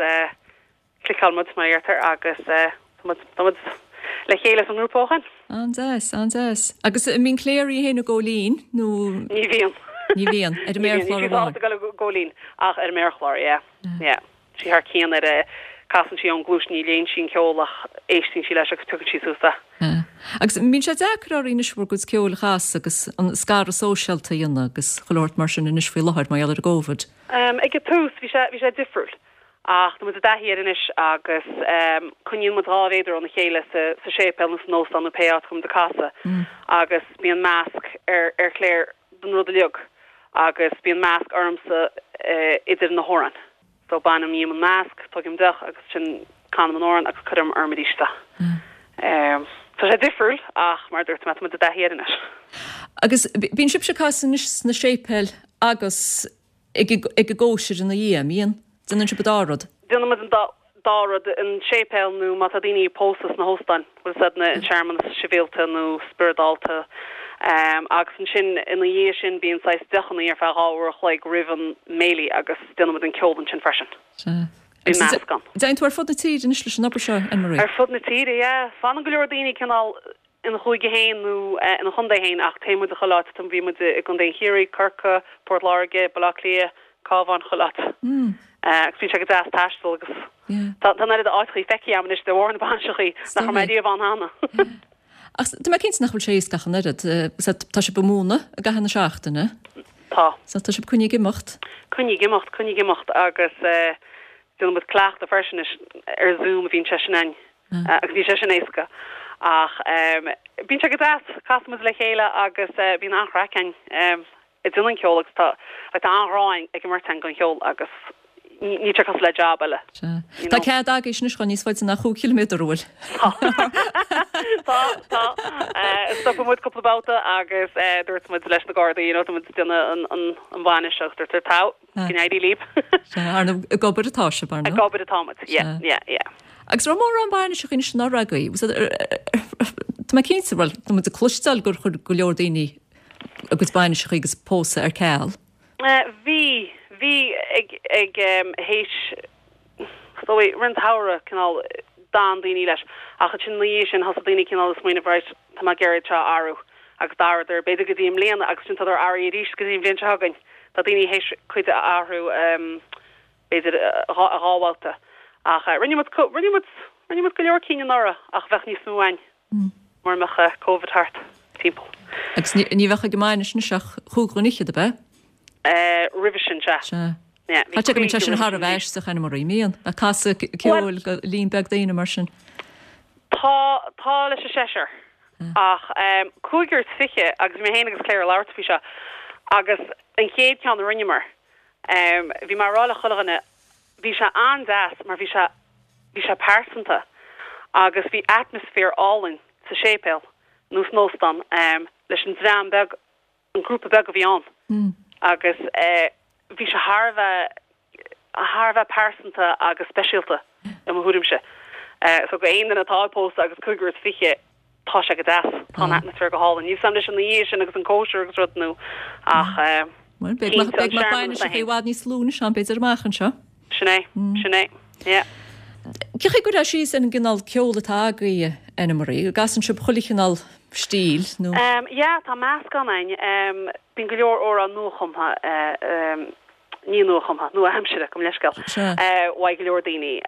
chliceáil muid, mar a deirtear, agus tá muid, tá muid le chéile sa ngrúpa ó shin. An-deas, an-deas. Agus an mbíonn Claire í féin ag góilín nó? Ní bhíonn. Ní bhíonn, ar an méarchlár amháin. Níl sí sásta ag dul ag góilín ach ar an méarchlár, yeah, yeah. sí thar cionn ar a casann sí ón gcluais, ní léann sí an ceol ach éisteann sí leis agus piocann sí suas é. Agus an mbíonn sé deacair oraibh anois bhur gcuid ceoil a chasadh agus an scaradh sóisialta a dhéanamh agus chuile shórt mar sin anois faoi láthair mar gheall ar an gCovid? Ag an tús bhí sé, bhí sé difriúil ach tá muid i dtaithí air anois agus coinníonn muid 2 mhéadar óna chéile sa, sa séipéal nó san óstán nó pé áit a bhfuil muid ag casadh agus bíonn masc ar, ar Claire don rud uilig agus bíonn masc ormsa idir na hamhráin. So bainim dhíom an masc, tógaim deoch agus ansin canaim an amhrán agus cuirim orm arís é. Tá sé difriúil ach mar a dúirt mé tá muid i dtaithí air anois. Agus bíonn sibhse ag casadh anois sna séipéil agus ag an gcóisir ina dhiaidh, an mbíonn? Déanann sibh an dá rud? Déanann muid an dá rud, an séipéal nó má tá daoine ag pósadh sna hóstáin, bhfuil a fhios a'd, an searmanas sibhialta nó spioradálta. Agus ansin ina dhiaidh sin bíonn saghas deochannaí ar feadh 2 uair a chloig roimh an mbéilí agus déanann muid an ceol ansin freisin. Sea. Bíonn meascán. Téann tú ar fud na tíre anois leis an obair seo, Anne Marie? Ar fud na tíre, yeah. Fanann go leor daoine cineál ina chúige féin nó ina chontae féin ach téann muid chuile áit. Bhí muid i gContae an Chiarraí, Corcaigh, Port Láirge, Baile Átha Cliath, Cabhán, chuile áit. Agus bíonn sé go deas taisteal agus tá an oiread áiteachaí feicthe agam anois de bharr na bainiseachaí nach raibh mé riamh ann cheana. Ach tá mé cinnte nach bhfuil sé éasca ach an oiread. Tá sibh ag múineadh i gcaitheamh na seachtaine. Tá. So tá sibh coinnithe ag imeacht. Coinnithe ag imeacht, coinnithe ag imeacht agus déanann muid cleachtadh freisin anois ar Zoom a bhíonn sé sin againn. Agus níl sé sin éasca. Ach bíonn sé go deas, casann muid le chéile agus bíonn an-chraic againn ag déanamh an cheoil agus tá like tá an-ghrá ag an mbeirt againn don cheol agus níl sé cosúil le job eile. Sea. Tá cead agaibhse anois dhul níos faide ná chúig chiliméadar, an bhfuil? Tá. Tá, tá. Stopadh muid cúpla babhta agus dúirt muid leis na Gardaí, you know, tá muid ag déanamh an bhainis agus dúirt tá. Go n-éirí libh. Sea, ar ndóigh, ag obair atá sibh, ar ndóigh. Ag obair atá muid, yeah, yeah, yeah. Agus raibh mórán bainiseacha anois anuraidh agaibh? Tá mé cinnte, bhuel, tá muid ag cloisteáil gur chuir go leor daoine a gcuid bainiseacha agus pósadh ar ceal. Bhí, bhí ag, ag théis, is dóigh, roimh an tsamhradh, cineál, d'fhan daoine leis. Ach ansin ina dhiaidh sin thosaigh daoine cineál ag smaoineamh, right, tá mé ag iarraidh seo a athrú. Agus d'athraíodar, b'fhéidir go dtí i mbliana agus ansin tádar athraithe arís go dtí an bhliain seo chugainn. Tá daoine théis cuid a athrú b'fhéidir dhá bhabhta. Ach rinne muid, rinne muid, rinne muid go leor cinn anuraidh ach bheadh níos mó againn mura mbeadh Covid thart timpeall. Agus ní bheadh ag an mbainis anois ach chúig dhuine fhichead, ab ea? Roimhe sin, sea. Sea. Tá sé go mbíonn sé sin thar a bheith aisteach, Anna-Marie, mbíonn? Ag casadh ceoil go líon beag daoine mar sin. Tá, tá leis an seisear. Ach 25 agus bhí mé féin agus Claire ag labhairt faoi seo agus an chéad ceann a rinneamar, bhí mé ag rá le chuile dhuine, bhí sé an-deas mar bhí sé, bhí sé pearsanta agus bhí atmaisféar álainn sa séipéal nó san óstán leis an dream beag an grúpa beag a bhí ann agus bhí sé thar a bheith, thar a bheith pearsanta agus speisialta i mo thuairimse. So go aon duine atá ag pósadh agus 25, tá sé go deas, tá an atmaisféar go hálainn. Níl 'fhios a'm leis an oíche sin agus an cóisir agus rud nó ach Bhuel, beidh cinnte an beidh searmanas é i bhfad níos lú anois ann b'fhéidir amach anseo. Sin é, sin é, yeah. Cén chaoi a gcuirfeá síos ar an gcineál ceoil atá agaibh, Anna-Marie? An gcasann sibh chuile chineál stíl nó? Yeah, tá meascán againn. Bíonn go leor amhrán nuachumtha, ní nuachumtha, nua-aimsire, gabh mo leithscéal, uaidh go leor daoine.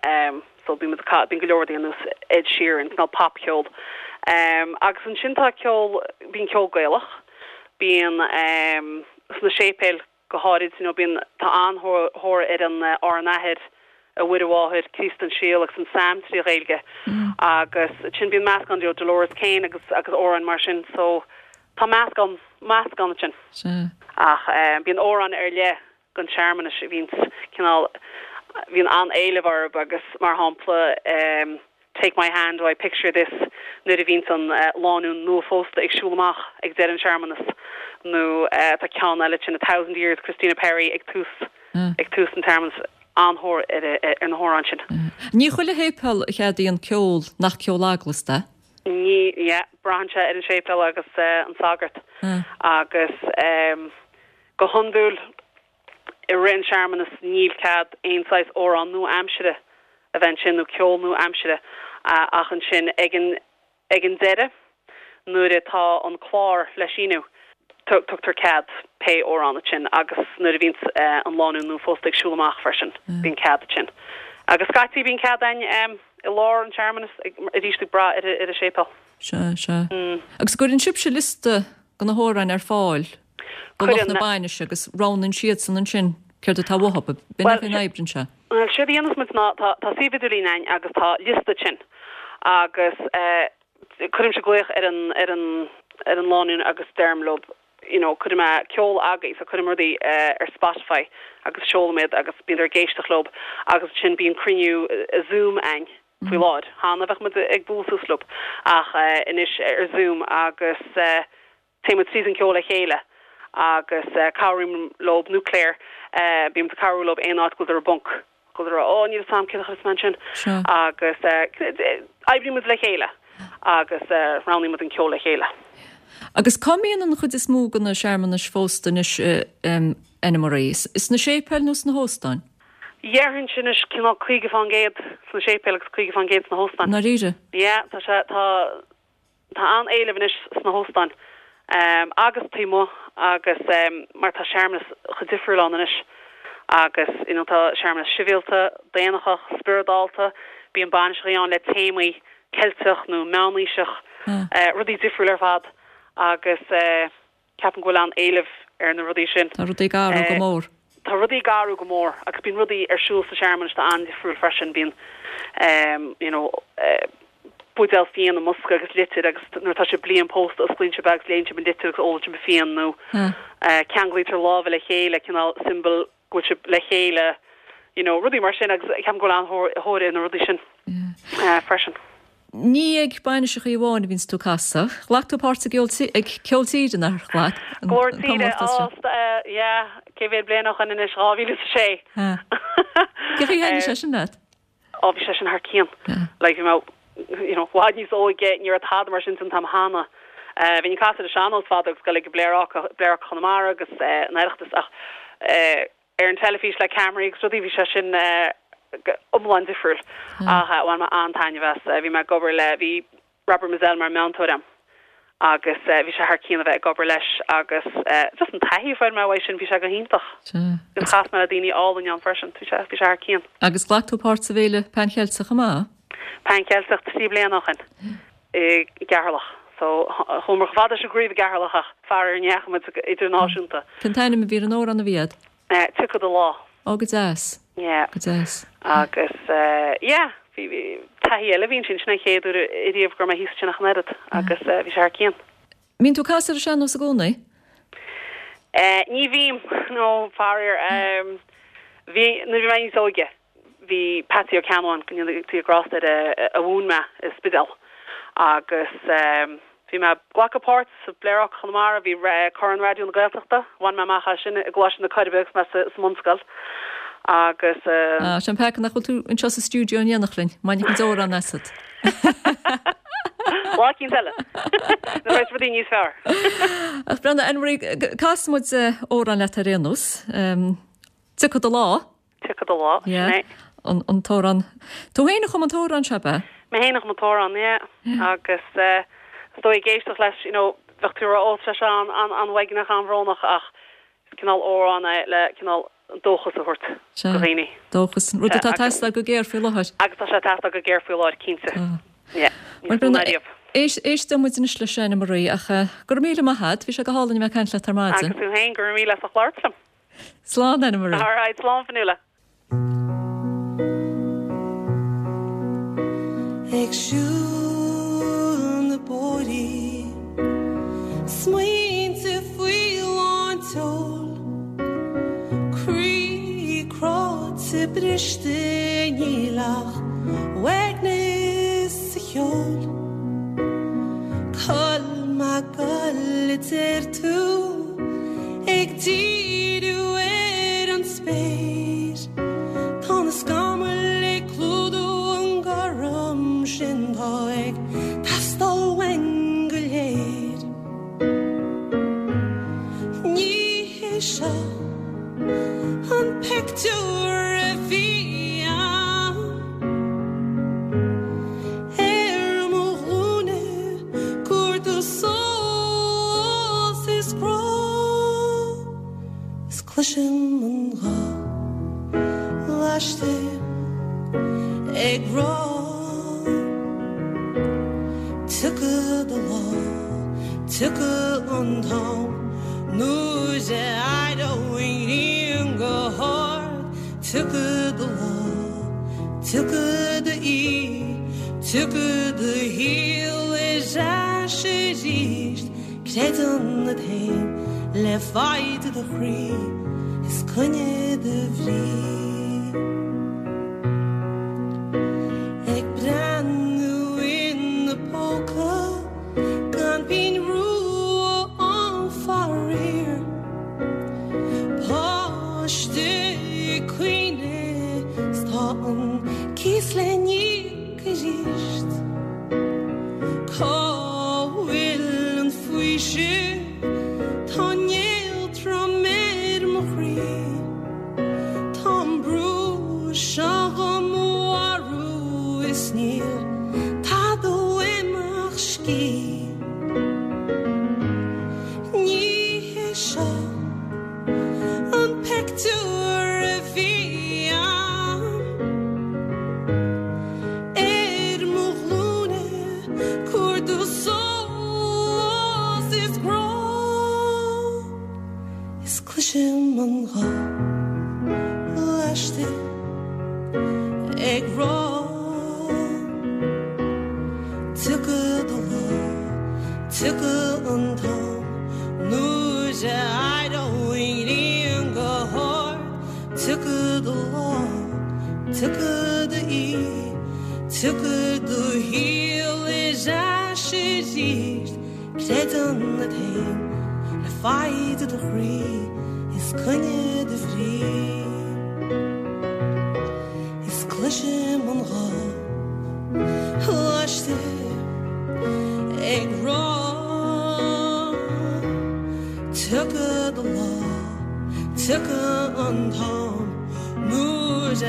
So bíonn muid ag, bíonn go leor rudaí ar nós Ed Sheeran, cineál popcheol. Agus ansin tá ceol, bíonn ceol Gaelach, bíonn sna séipéil, Go háirid, you know, bíonn, tá an-thóir ar an Ár nAthair, A Mhuire Mháthair, Críost an Síol agus an Saim trí Ghaeilge agus ansin bíonn meascán de Dolores Keane agus agus amhráin mar sin so tá meascán, meascán ansin. Sea. Ach bíonn amhráin ar leith don searmanas a bhíonns cineál, bhíonn an-éileamh orthu agus mar shampla Take My Hand, I Picture This nuair a bhíonns an lánúin nua-phósta ag siúl amach ag deireadh an searmanas nó tá ceann eile sin A Thousand Years, Christina Perri ag tús ag tús an tsearmanas. An-thóir ar na hamhráin sin. Ní chuile shéipéal a cheadaíonn ceol nach ceol eaglasta é. Ní, yeah, braitheann sé ar an séipéal agus an sagart agus go hiondúil I rith an searmanas níl cead aon saghas amhrán nua-aimsire a bheith ansin nó ceol nua-aimsire ach ansin ag an ag an deireadh nuair atá an clár le síniú tugtar cead pé amhrán ansin agus nuair a bhíonns an lánúin nua-phósta ag siúl amach freisin bíonn cead ansin. Agus scaití bíonn cead againn i lár an tsearmanas arís ag brath ar an séipéal. Sea, sea. Agus cuireann sibhse liosta de na hamhráin ar fáil do lucht na bainise agus roghnaíonn siadsan ansin céard atá uathu. B'in é an oibreann sé. Bhuel, séard a dhéanas muid ná tá tá suíomh idirlín againn agus tá liosta ansin agus cuirimse glaoch ar an ar an ar an lánúin agus deirim leo you know cuirfidh mé ceol agaibh so cuirim rudaí ar Spotify agus seolaim iad agus bíonn ag éisteacht leo agus ansin bíonn cruinniú Zoom againn faoi láthair. Cheana bheadh muid ag bualadh suas leo ach anois ar Zoom agus Téann muid tríd an ceol le chéile agus cabhraím leo, nó Claire, bíonn muid ag cabhrú leo aon áit go bhfuil ar bponc, go bhfuil ó níl 'fhios a'm céard a chuirfeas mé ansin agus oibríonn muid le chéile agus roghnaíonn muid an ceol le chéile. Agus cá mbíonn an chuid is mó de na searmanais phósta anois, Anna-Marie? Sna séipéil nó sna hóstáin? Dhéarfainnse anois cineál 50% sna séipéil agus 50% sna hóstáin. I ndáiríre? Yeah, tá sé, tá. Tá an-éileamh anois sna hóstáin agus taobh amuigh agus mar tá searmanas chomh difriúil ann anois agus you know tá searmanas sibhialta, daonlathach, spioradálta, bíonn bainiseachaí ann le téamaí Ceilteach nó meánaoiseach, rudaí difriúil ar fad agus Ceapaim go bhfuil an-éileamh ar na rudaí sin. Tá rudaí ag athrú go mór. Tá rudaí ag athrú go mór agus bíonn rudaí ar siúl sa searmanas atá an-difriúil freisin. Bíonn you know buidéal fíon i mbosca agus litir agus nuair atá sibh bliain pósta osclaíonn sibh é agus léann sibh an litir agus ólann sibh an fíon nó ceanglaítear lámha le chéile, cineál symbol go bhfuil sibh le chéile, you know, rudaí mar sin agus ceapaim go bhfuil an-thóir ar na rudaí sin freisin. Ní ag bainiseachaí amháin a bhíonns tú ag casadh. Ghlac tú páirt i gceol ag Ceol Tíre, nár ghlac? An Glór Tíre, comórtas sin. Ó, yeah, cé mhéad bliain ó shoin anois, 2006. Cén chaoi a thaitnigh sé sin leat? Ó, bhí sé sin thar cionn. Like, bhí mé, you know, i bhfad níos óige, ní raibh tada mar sin san t-am cheana. Bhínn ag casadh ar an sean-nós fadó agus ag dul ag Pléaráca, Pléaráca Chonamara agus an Oireachtas ach ar an teilifís le ceamaraí agus rudaí, bhí sé sin iomlán difriúil. Ach bhain mé an-taitneamh as. Bhí mé ag obair le, bhí Robert Mizzell mar meantóir a'm agus bhí sé thar cionn a bheith ag obair leis agus just an taithí a fuair mé uaidh sin, bhí sé go hiontach. Agus chas mé le daoine álainn ann freisin, bhí sé, bhí sé thar cionn. Agus ghlac tú páirt sa bhFéile Pan Cheilteach chomh maith? Pan Cheilteach 3 bliana ó shin i gCeatharlach. So chuamar chomh fada leis an gcraobh i gCeatharlach ach faraor ní dheachaigh muid idirnáisiúnta. Cén t-ainm a bhí ar an amhrán a bhí a'd? Tiocfaidh do Lá. Ó go deas. Yeah. Go deas. Agus yeah, bhí taithí eile a bhí ansin, sin an chéad uair ariamh go raibh mé thíos ansin ach an oiread agus bhí sé thar cionn. Mbíonn tú ag casadh ar an sean-nós i gcónaí? Ní bhím, no, faraor. Bhí, nuair a bhí mé níos óige, bhí Patsy Ó Ceannabháin, go ndéana Dia grásta air, a mhúin mé i Spidéal agus bhí mé ag glacadh páirt sa Pléaráca Chonamara, bhí Corn Raidió na Gaeltachta, bhain mé amach as sin i gColáiste na Coiribe agus mé sa mbunscoil agus. Ah, sé an peaca nach bhfuil tú anseo sa stiúideo in éineacht linn, mbainfeadh muid amhrán asat. Lá eicínt eile, nuair a bheas rudaí níos fearr. Ach breathnaigh, Anne-Marie, casfaidh muid amhrán leat ar aon nós. Tiocfaidh do lá. Tiocfaidh do lá, sin é. An t-amhrán. Tú féin a chum an t-amhrán seo, ab ea? Mé féin a chum an t-amhrán, yeah. Agus is dóigh ag éisteacht leis, you know, bheadh tú ag rá, ó, tá sé an-uaigneach, an-bhrónach ach is cineál amhrán é le cineál dóchas a thabhairt do dhaoine. Dóchas, rud atá ag teastáil go géar faoi láthair. Agus tá sé ag teastáil go géar faoi láthair, cinnte. Yeah, níos mó ná riamh. Éisteoidh muid anois leis Anne-Marie ach go raibh míle maith a't, bhí sé go hálainn a bheith ag caint leat ar maidin. Agus tú féin, go raibh míle as ucht labhairt liom. Slán, Anne-Marie. All right, slán Fionnuala. Ag siúl na bóithrí, smaointe faoi lán tseoil, croí cráite briste níl ach uaigneas sa cheol. Colm Mac Giolla a deir tú ag díriú ar an spéir. Tá na scamaill ag clúdú an gorm sin tá ag teastáil uainn go léir. Ní hé seo an pictiúr a bhí ann ar mo ghlúine. Cuartú sólás is grá is cloisim an guth laistigh ag rá Tiocfaidh do lá, tiocfaidh an t-am nuair a éireoidh an ghrian go hard Tiocfaidh do lá, tiocfaidh d'oíche Tiocfaidh do shaol ar ais arís, creid ionat féin le foighid do chroí is coinnigh do bhrí. Ag breathnú ina póca gan pingin rua ann faraor. Páiste ag caoineadh 's tá an cíos le n-íoc arís. Cá bhfuil an faoiseamh? Tá néal trom ar mo chroí. Tá an brú seo do mo mharú is níl tada uaim ach scíth. Ní hé seo an pictiúr a bhí ann ar mo ghlúine cuartú sólás is grá is cloisim an guth laistigh ag rá Tiocfaidh do lá, tiocfaidh an t-am nuair a éireoidh an ghrian go hard Tiocfaidh do lá, tiocfaidh d'oíche, tiocfaidh do shaol ar ais arís Creid ionat féin le foighid do chroí is coinnigh do bhrí Is cloisim an guth laistigh ag rá Tiocfaidh do lá, tiocfaidh an t-am nuair a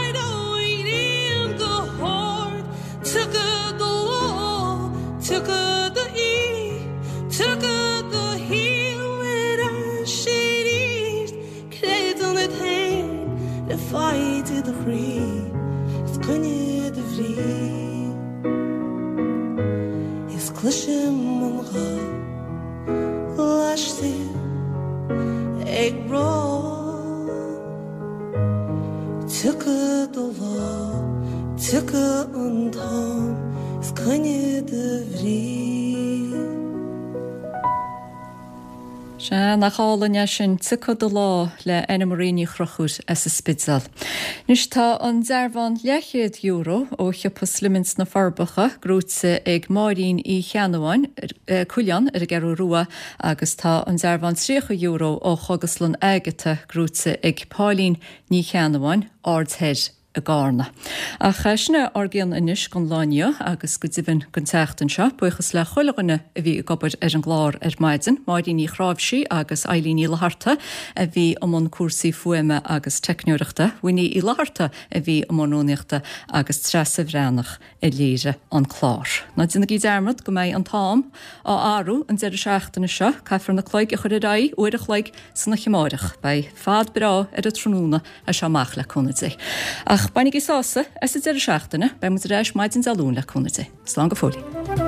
éireoidh an ghrian go hard Tiocfaidh do lá, tiocfaidh d'oíche, tiocfaidh do shaol ar ais arís Creid ionat féin le foighid do chroí is coinnigh do bhrí Is. Cloisim an ghaoth laistiar ag rá Tiocfaidh do lá, tiocfaidh an t-am is coinnigh do bhrí. Sea, nach álainn é sin, Tiocfaidh do Lá le Anna Marie Ní Chonchúir as an Spidéal. Anois tá an dearbhán leathchéad euro ó shiopa Slimmins sna Forbacha gnóite ag Máirín Uí Cheannabháin, Cuilleán ar an gCeathrú Rua agus tá an dearbhán €30 ó Chógaslann Agatha gnóite ag Pauline Ní Cheannabháin, Aird Thoir. i gCarna. Ach sin é ár gcion anois don lá inniu agus go deimhin don tseachtain seo. Buíochas le chuile dhuine a bhí ag obair ar an gclár ar maidin, Máirín Ní Chráimhsí agus Eilín Ní Fhlatharta a bhí i mbun cúrsaí fuaime agus teicneoireachta, Winnie Uí Fhlatharta a bhí i mbun rúnaíochta agus Treasa Bhreathnach a léirigh an clár. Ná déanaigí dearmad go mbeidh an t-am á athrú an deireadh seachtaine seo, caithfear na cloig a chur ar aghaidh uair a chloig san oíche amáireach. Beidh fad breá ar an tráthnóna as seo amach le cúnamh Dé. Ach bainigí sásamh as an deireadh seachtaine, beidh muid ar ais maidin Dé Luain le cúnamh Dé. Slán go fóill.